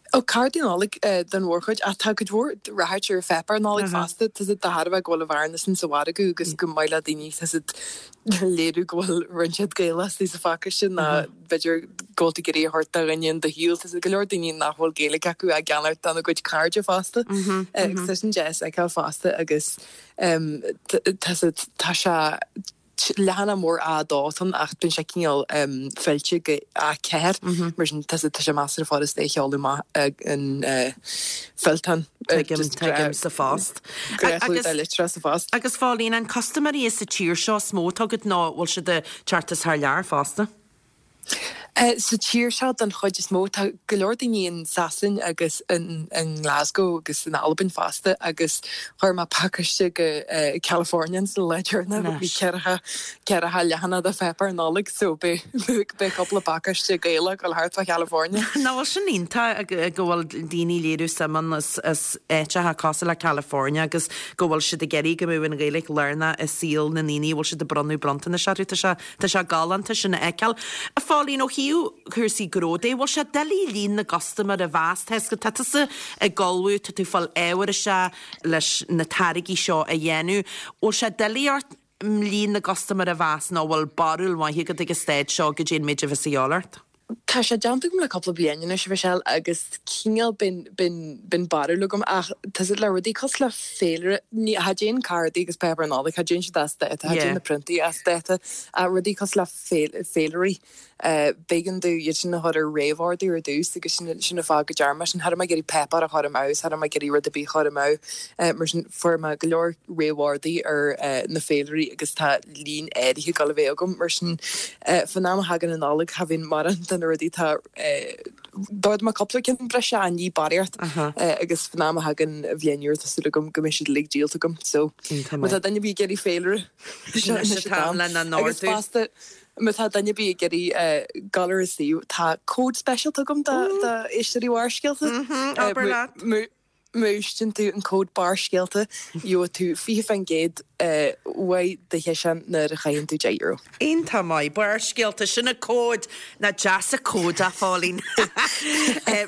Ó cárdaí Nollag den mhórchuid ach tá cuid mhór ráchairt ar pháipéar Nollag fosta. Tá siad de thairbhe go bhfuil an bhearna sin sa mhargadh agus go maith le daoine tá siad léiriú go bhfuil roinnt iad Gaelach istigh sa phacáiste ná b'fhéidir go bhfuil tú ag iarraidh a thabhairt do dhuine in do shaol. Tá siad go leor daoine nach bhfuil Gaeilge acu á gceannacht dona gcuid cairde fosta. Agus tá sin deas a fheiceáil fosta agus tá siad tá sé leathanach mór A dó atá ann ach bíonn sé cineál fillte go A ceathair mar sin tá sé measartha furasta é a sheoladh amach in fillteán. Tuigim, tuigim, sa phost. Agus litreacha sa phost. Agus a Phóilín, an custaiméirí sa tír seo is mó atá agat nó bhfuil siad ag teacht as thar lear fosta? Sa tír seo den chuid is mó, tá go leor daoine in Sasain agus in nGlasgow agus in Albain fosta agus chuir mé pacáiste go California sa lá deireanach, bhí ceathracha ceathracha leathanach de pháipéar Nollag so beidh cúpla pacáiste Gaelach ag dul thart fá California. Nach bhfuil sin iontach go bhfuil daoine ag léiriú suim ann as as áiteacha cosúil le California agus go bhfuil siad ag iarraidh go mbeadh an Ghaeilge lárnach i saol na ndaoine, bhfuil siad ag bronnadh bronntanais orthu, tá sé tá sé galánta sin a fheiceáil. A Phóilín, ó thaobh cúrsaí gnó de, bhfuil sé doiligh líon na gcustaiméir a mheas? Tá tá tusa ag ullmhú, tá tú ag fáil ábhar isteach leis na táirgí seo a dhéanamh. Bhfuil sé doiligh ort líon na gcustaiméir a mheas nó bhfuil barúil mhaith agat ag an staid seo goidé an méid a bheas a dhíobháil ort? Tá sé déanta agam le cúpla bliain anois, a Mhichelle, agus cineál bíonn, bíonn, bíonn barúil agam ach tá siad le rudaí cosúil le féilire, ní, cha dtéann cárdaí agus páipéar Nollag, cha dtéann siad as dáta, cha dtéann na priontaí as dáta ach rudaí cosúil le féil, féilirí, b'éigean domh iad sin a chur ar réamhordú ar dtús agus sin, sin an fáth go ndearna mé sin. Cha raibh mé ag iarraidh páipéar a chur amú, cha raibh mé ag iarraidh rud ar bith a chur amú mar sin fuair mé go leor réamhordaí ar na féilirí agus tá líon áirithe ag dul a bheith agam mar sin fán am a thagann an Nollaig cha bhíonn mórán de na rudaí atá d'ordaigh mé cúpla ceann breise ach ní barraíocht agus fán am a thagann an bhliain úr tá súil agam go mbeidh siad uilig díolta agam so má tá duine ar bith ag iarraidh féilire seo anois an t-am agus fosta má tá duine ar bith ag iarraidh dul ar an suíomh tá cód speisialta agam do éisteoirí Bharrscéalta. Abair leat. Má úsáideann tú an cód Barrscéalta, gheobhaidh tú fiche faoin gcéad uaidh do chiseán nuair a chaitheann tú deich euro. Iontach maith. Barrscéalta, sin an cód. Nach deas an cód a Phóilín.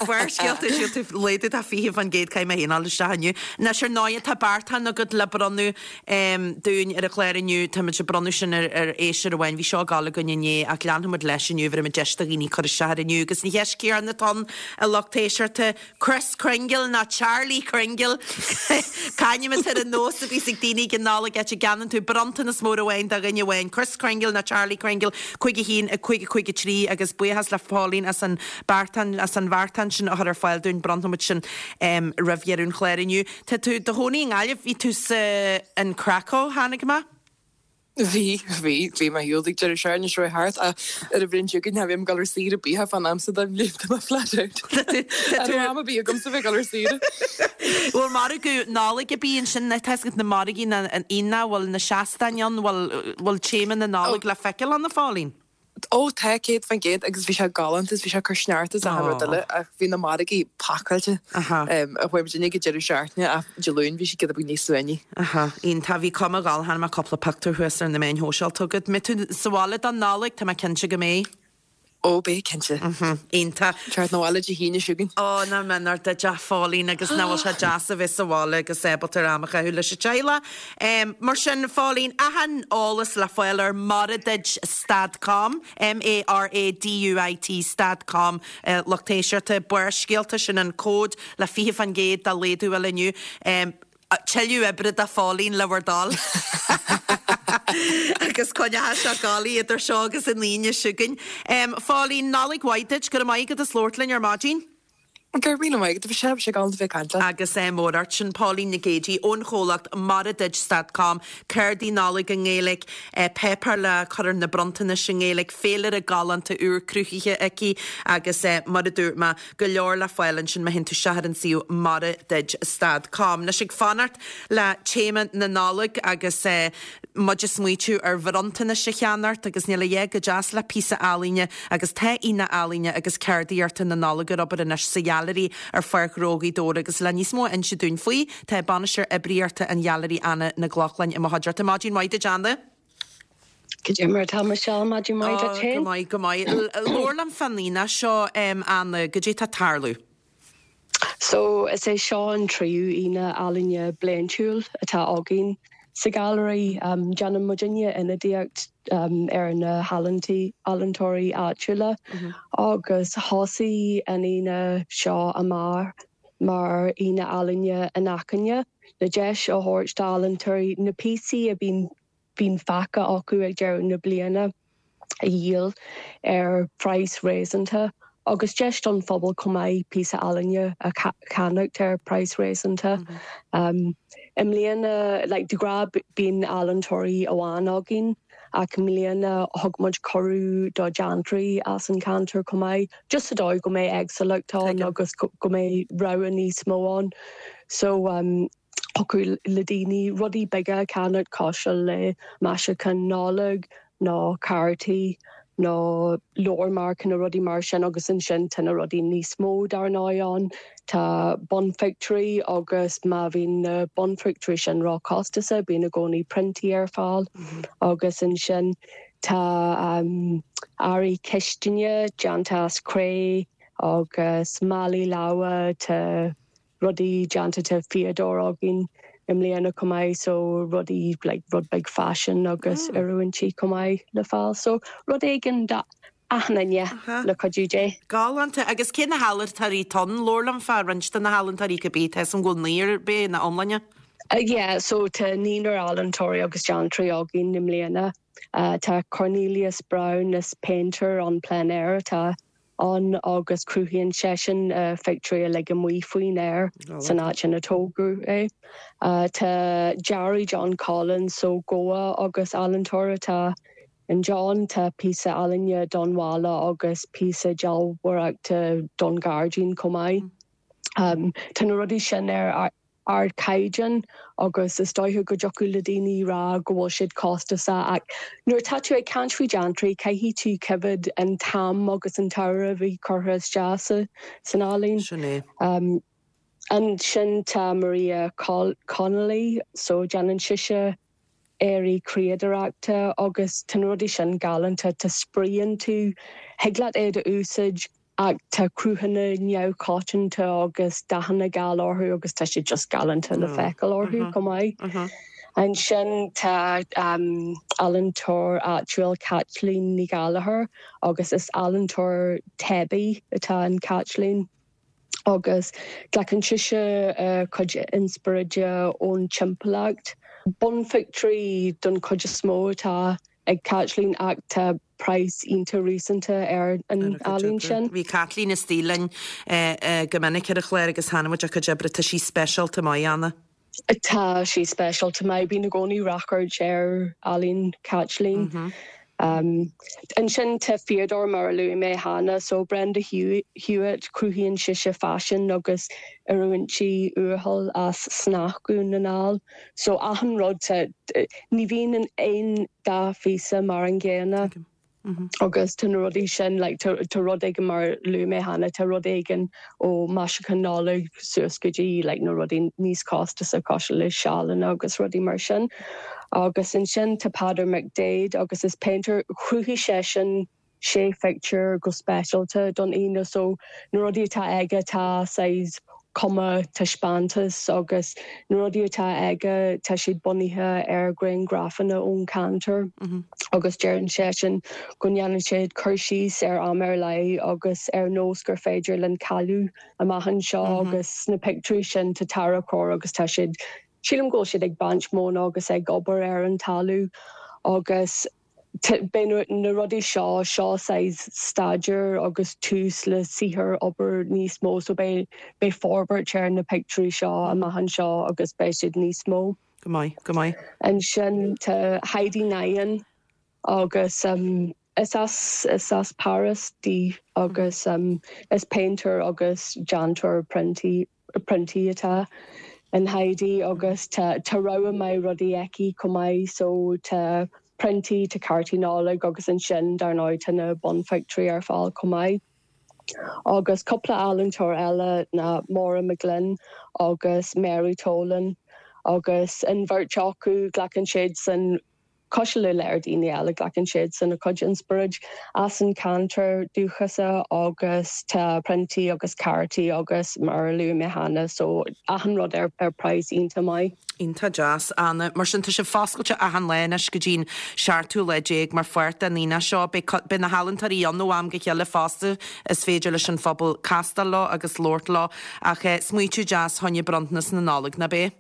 Barrscéalta, gheobhaidh tú laghdú de fiche faoin gcéad caithfidh mé féin a dhul isteach inniu. Anois ar ndóigh tá beartán agat le bronnadh dúinn ar an chlár inniu. Táimid ag bronnadh sin ar ar éisteoir amháin. Bhí seo ag gabháil againn inné ach leanfaimid leis inniu. Bhéarfaimid deis do dhaoine cur isteach air inniu agus an cheist chéanna atá ann a lucht éisteachta. Kris Kringle nó Charlie Kringle? C'ainm atá ar an nós a bhíos ag daoine ag an Nollaig áit a gceannaíonn tú bronntanas mór amháin do dhuine amháin. Kris Kringle nó Charlie Kringle? Cúig a haon, a cúig a cúig a trí agus buíochas le Pauline as an beartán as an bheartán sin a chur ar fáil dúinn. Bronnfaimid sin roimh dheireadh an chláir inniu. Tá tú i do chónaí i nGaillimh, bhí tú sa in Krakow, chonaic mé? Bhí bhí bhí mé ar shiúl ag deireadh seachtaine seo thart ar an bhliain seo chugainn bhím ag dul ar saoire bíthe fan amsa don bhliain tá mé flat out. Am a bí agam sa bheith ag dul ar saoire. Bhfuil margadh Nollag a bí ansin na tá na margaí na an ina bhfuil na seastáin ann bhfuil bhfuil téama na Nollag le feiceáil ann a Phauline? Ó tá céad faoin gcéad agus bhí sé galánta bhí sé cur sneart is a rud eile ach bhí na margaí pacáilte a chuaigh muidinne go deireadh seachtaine ach Dé Luain bhí sé giota beag níos suaimhní. Aha, iontach bhí cuma gal chonaic mé cúpla pictiúr thuas ar na meáin shóisialta agat. Mbeidh tú sa bhaile don Nollaig tá mé cinnte go mbeidh. Ó beidh cinnte. Iontach. Teacht 'na bhaile Dé hAoine seo chugainn. Ó ná menar de de Phauline agus ná bhfuil sé deas a bheith sa bhaile agus ábalta am a chaitheamh leis an teaghlach. Um, mar sin Phauline achan eolas le fáil ar Maraduit stad com, M-A-R-A-D-U-I-T stad com uh, lucht éisteachta Barrscéalta sin an cód le fiche faoin gcéad de laghdú eile inniu. Um, tuilleadh oibre do Phauline le bhur dtoil. agus coinneoidh sé gálaí idir seo agus an Aoine seo chugainn. Um, Phauline Nollaig mhaith duit go maith go labhairt linn ar maidin. Gur mí maith bhí sé sé galánta bheith caint. Agus é mór sin Pauline Nic Géadaigh ón chomhlacht Maraduit stad com, cártaí Nollag i nGaeilge, eh, páipéar le cur ar na bronntanais i nGaeilge, féilire galánta úr cruthaithe aici agus eh, mar a dúirt mé go leor le fáil ansin má théann tú isteach ar an suíomh Maraduit stad com. Anois ag fanacht le téama na Nollag agus eh, muid ag smaointiú ar bhronntanais a cheannacht agus níl a dhath chomh deas le píosa ealaíne agus tá aoine ealaíne agus ceardaíochta na Nollag ar obair anois sa Ghealairí ar Pháirc Ghnó Ghaoth Dobhair agus le níos mó a inse dúinn faoi tá bainisteoir oibríochta an Ghealairí Anna Nic Lochlainn i mo chuideachta maidin mhaith duit Anna. Cad é mar tá Michelle maidin mhaith Go féin? maith go maith. Labhair liom fán aoine seo Anna cad é tá ag tarlú. So is é seo an tríú aoine ealaíne bliantúil atá againn sa Gallery um, déanann muidinne ionadaíocht um, ar na healaíontóirí ealaíontóirí áitiúla mm -hmm. agus thosaigh an aoine seo amach mar aoine ealaíne inacmhainne le deis a thabhairt d'ealaíontóirí na píosaí a bíonn bíonn fágtha acu ag deireadh na bliana a dhíol ar phraghas réasúnta agus deis don phobal chomh maith píosa ealaíne a cheannacht ar phraghas réasúnta. Mm -hmm. um, I mbliana like, de ghnáth bíonn ealaíontóirí amháin againn ach i mbliana thug muid cuireadh do dhéantóirí as an ceantar chomh maith, just sa dóigh go mbeidh éagsúlacht ann agus go mbeidh rogha níos mó ann. So um, thiocfadh le daoine rudaí beaga ceannacht cosúil le maisiúcháin Nollag nó cártaí nó leabharmharc na rudaí mar sin agus ansin tá na rudaí níos mó dar ndóigh ann Tá bunphictiúirí agus má bhíonn na bunphictiúirí sin róchostasach bíonn i gcónaí priontaí ar fáil mm -hmm. agus ansin tá um, earraí cistine déanta as cré agus málaí láimhe tá rudaí déanta de fhíodóir againn i mbliana chomh maith so rudaí like, rud beag fashion agus mm. oiriúintí chomh maith le fáil so rud éigin d'achan duine le cuidiú Dé. Galánta agus cé na healaíontóirí atá ann labhair liom fá roinnt de na healaíontóirí go bí tá an bhfuil naonúr bé na iomláine? Uh, yeah, so tá naonúr ealaíontóirí agus déantóirí againn i mbliana. Uh, tá Cornelius Brown is painter en plein air atá ann agus cruthaíonn seisean uh, pictiúirí le go amuigh faoin aer san áit ina tógadh é. Uh, tá Jerry John Collins so Goa agus ealaíontóir atá in John tá píosa ealaíne don bhalla agus píosa dealbhóireachta don ghairdín chomh maith. Um, tá na rudaí sin ar ardchaighdeán agus is dóiche go dtiocfadh le daoine rá go bhfuil siad costasach ach nuair tá tú ag caint faoi déantóirí caithfidh tú coimhéad an t-am agus an t-airgead a bhí curtha isteach san ealaín. Sin é. Um, ansin tá Maria Connolly so déanann sise earraí criadóireachta agus tá rudaí sin galánta tá spraíonn tú thig leat é a úsáid ach tá cruthanna neamhchoitianta agus dathanna geal orthu agus tá sé just galánta le feiceáil orthu chomh maith. Ansin tá um, ealaíontóir áitiúil Caitlín Ní Gallagher agus is ealaíontóir teibí atá in Caitlín. agus glacann sise uh, cuid inspioráide ón timpeallacht. Bunphictiúirí don chuid is mó atá ag Caitlín ach tá praghas iontach réasúnta ar an ealaín sin. Bhí Caitlín istigh linn go minic ar an chlár agus thaitnigh a cuid oibre tá sí speisialta maith Anna. Tá sí speisialta maith, bím i gcónaí ráchairt ar ealaín Caitlín. Mm -hmm. Um, ansin tá Fíodóir mar a luaigh mé cheana so Brenda Hewitt cruthaíonn sise faisean agus oiriúintí uathúil as snáth Dhún na nGall. So achan rud ní bhíonn aon dá phíosa mar an gcéanna. Okay. Mm -hmm. agus tá na rudaí sin like, tá rud éigin mar a luaigh mé cheana tá rud éigin ó maisiúchán Nollag suas go dtí like, na rudaí níos costasaí cosúil le seálanna agus rudaí mar sin. Agus ansin tá Peadar McDaid agus is painter chruthaigh seisean sé phictiúr go speisialta don Aoine so na rudaí atá aige tá saghas cuma taispeántas agus na rudaí atá aige tá siad bunaithe ar ghrianghrafanna ón ceantar mm -hmm. agus deireann seisean go ndéanann siad cur síos ar am ar leith agus ar nós gur féidir linn cailleadh amach anseo mm -hmm. agus na pictiúirí sin tá tarracóir agus tá siad sílim go bhfuil siad ag baint móna agus ag obair ar an talamh agus beidh na rudaí seo seo saghas staidéar agus tús le saothar obair níos mó so beidh beidh forbairt ar na pictiúirí seo amach anseo agus beidh siad níos mó. Go maith, go maith. Ansin tá Heidi Nyan agus um, is as is as Paris di agus um, is painter agus déantóir priontaí priontaí atá in Heidi agus tá tá rogha maith rudaí aici chomh maith so tá priontaí tá cártaí Nollag agus ansin dar ndóigh tá na bunphictiúirí ar fáil chomh maith. Agus cúpla ealaíontóir eile ná Maura McGlynn agus Mary Tolan agus an bheirt acu glacann siad san cosúil le le daoine eile glacann siad san a cuid inspioráid as an ceantar dúchasach agus tá priontaí agus cártaí agus mar a luaigh mé cheana so achan rud ar ar praghas iontach maith. Iontach deas Anna, mar sin tá sibh foscailte achan lá anois go dtí'n seachtú lá déag mar pháirt den Aoine seo, beidh na healaíontóirí ann ó am go chéile fosta is féidir leis an phobal castáil leo agus labhairt leo ach eh, smaoitiú deas fá choinne bronntanas na Nollag nach bea?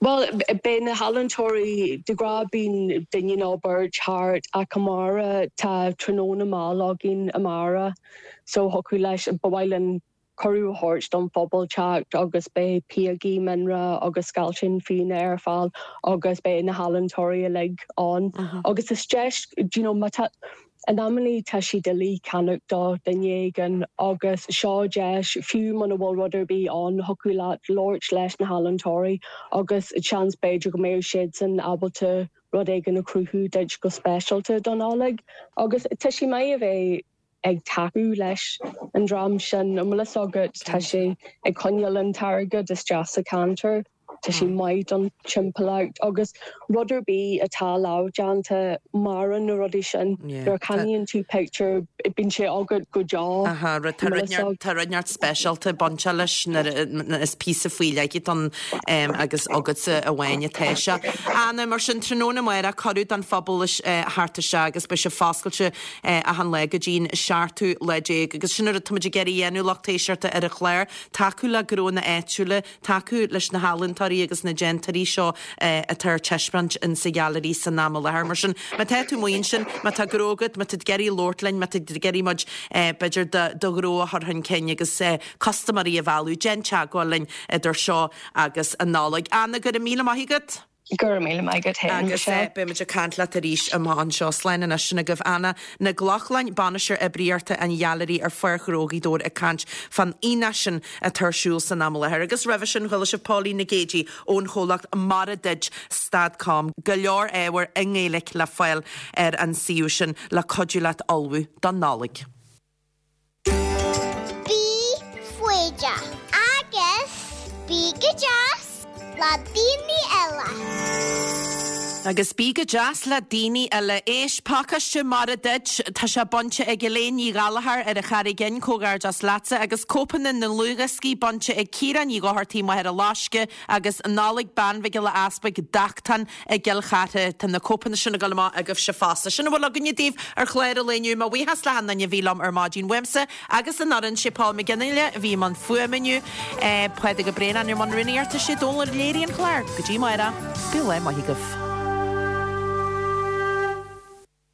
Well beidh na healaíontóirí de ghnáth bíonn duine nó beirt thart ach amárach tá tráthnóna mall againn amárach so thiocfadh leis ba mhaith linn cuireadh a thabhairt don phobal teacht agus beidh píogaí mianra agus scailtín fíona ar fáil agus beidh na healaíontóirí uilig ann. Uh -huh. Agus is deis you know, má tá in amannaí tá sé doiligh ceannach do dhuine éigin agus seo deis fiú muna bhfuil rud ar bith ann thiocfadh leat labhairt leis na healaíontóirí agus seans b'fhéidir go mbeadh siad san ábalta rud éigin a chruthú duit go speisialta don Nollaig agus tá sé maith a bheith ag tacú leis an dream sin an bhfuil a fhios agat tá sé ag coinneáil an t-airgead isteach sa cheantar. Tá sé maith don timpeallacht agus rud ar bith atá lámhdhéanta maireann na rudaí sin. Nuair a cheannaíonn tú pictiúr bíonn sé agat go deo. Aha, rud tá rud neart tá rud neart speisialta bainte leis nuair is píosa faoi leith ann agus agatsa amháin atá sé. Anna mar sin tráthnóna amárach cuireadh don phobal theacht isteach agus beidh sé foscailte achan lá go dtí'n seachtú lá déag agus sin rud táimid ag iarraidh a dhéanamh lucht éisteachta ar an chlár, tacú le gnónna áitiúla, tacú leis na healaíontóirí agus na déantóirí seo atá ar taispeáint in sa ghailearaí san am i láthair. Mar sin má tá tú amuigh ansin, má tá gnó agat, má tá tú ag iarraidh labhairt linn, má tá tú ag iarraidh muid b'fhéidir do ghnó a chur chun cinn agus custaiméirí a mhealladh, déan teagmháil linn idir seo agus an Nollaig. Anna, go raibh míle maith agat. Go raibh míle maith agat féin, Agus Michelle. beimid ag caint leat arís amach anseo. Slán anois sin agaibh Anna Nic Lochlainn, Bainisteoir Oibríochta an Ghailearaí ar Pháirc Ghnó Ghaoth Dobhair ag caint fán aonach sin atá ar siúl san am i láthair. Agus roimhe sin chuala sibh Pauline Nic Géidigh ón chomhlacht Mar a Duit stad com. Go leor ábhair i nGaeilge le fáil ar an suíomh sin le cuidiú leat ullmhú don Nollaig. Bí foighdeach agus bí go deas le daoine eile. Agus bí go deas le daoine eile éis pacáiste mar a duit tá sé bainte ag Elaine Ní Ghallchóir ar an Charraig Fhinn comhghairdeas leatsa agus cóipeanna na ndlúthdhioscaí bainte ag Ciara Ní Dhochartaigh Machaire Loiscthe agus Nollaig Bean Mhic Giolla Easpaig Dachtáin i gCill Chartha Tá na cóipeanna sin ag dul amach agaibhse fosta. Sin a bhfuil againne daoibh ar chlár an lae inniu mo bhuíochas le haon duine a bhí liom ar maidin uaimse agus an fhoireann sé Paul McGinley a bhí i mbun fuaime inniu Pádraig Ó Braonáin ar mbun rúnaíochta sé Dónal Léirí an chlár go dtí amárach Bíodh lá maith agaibh.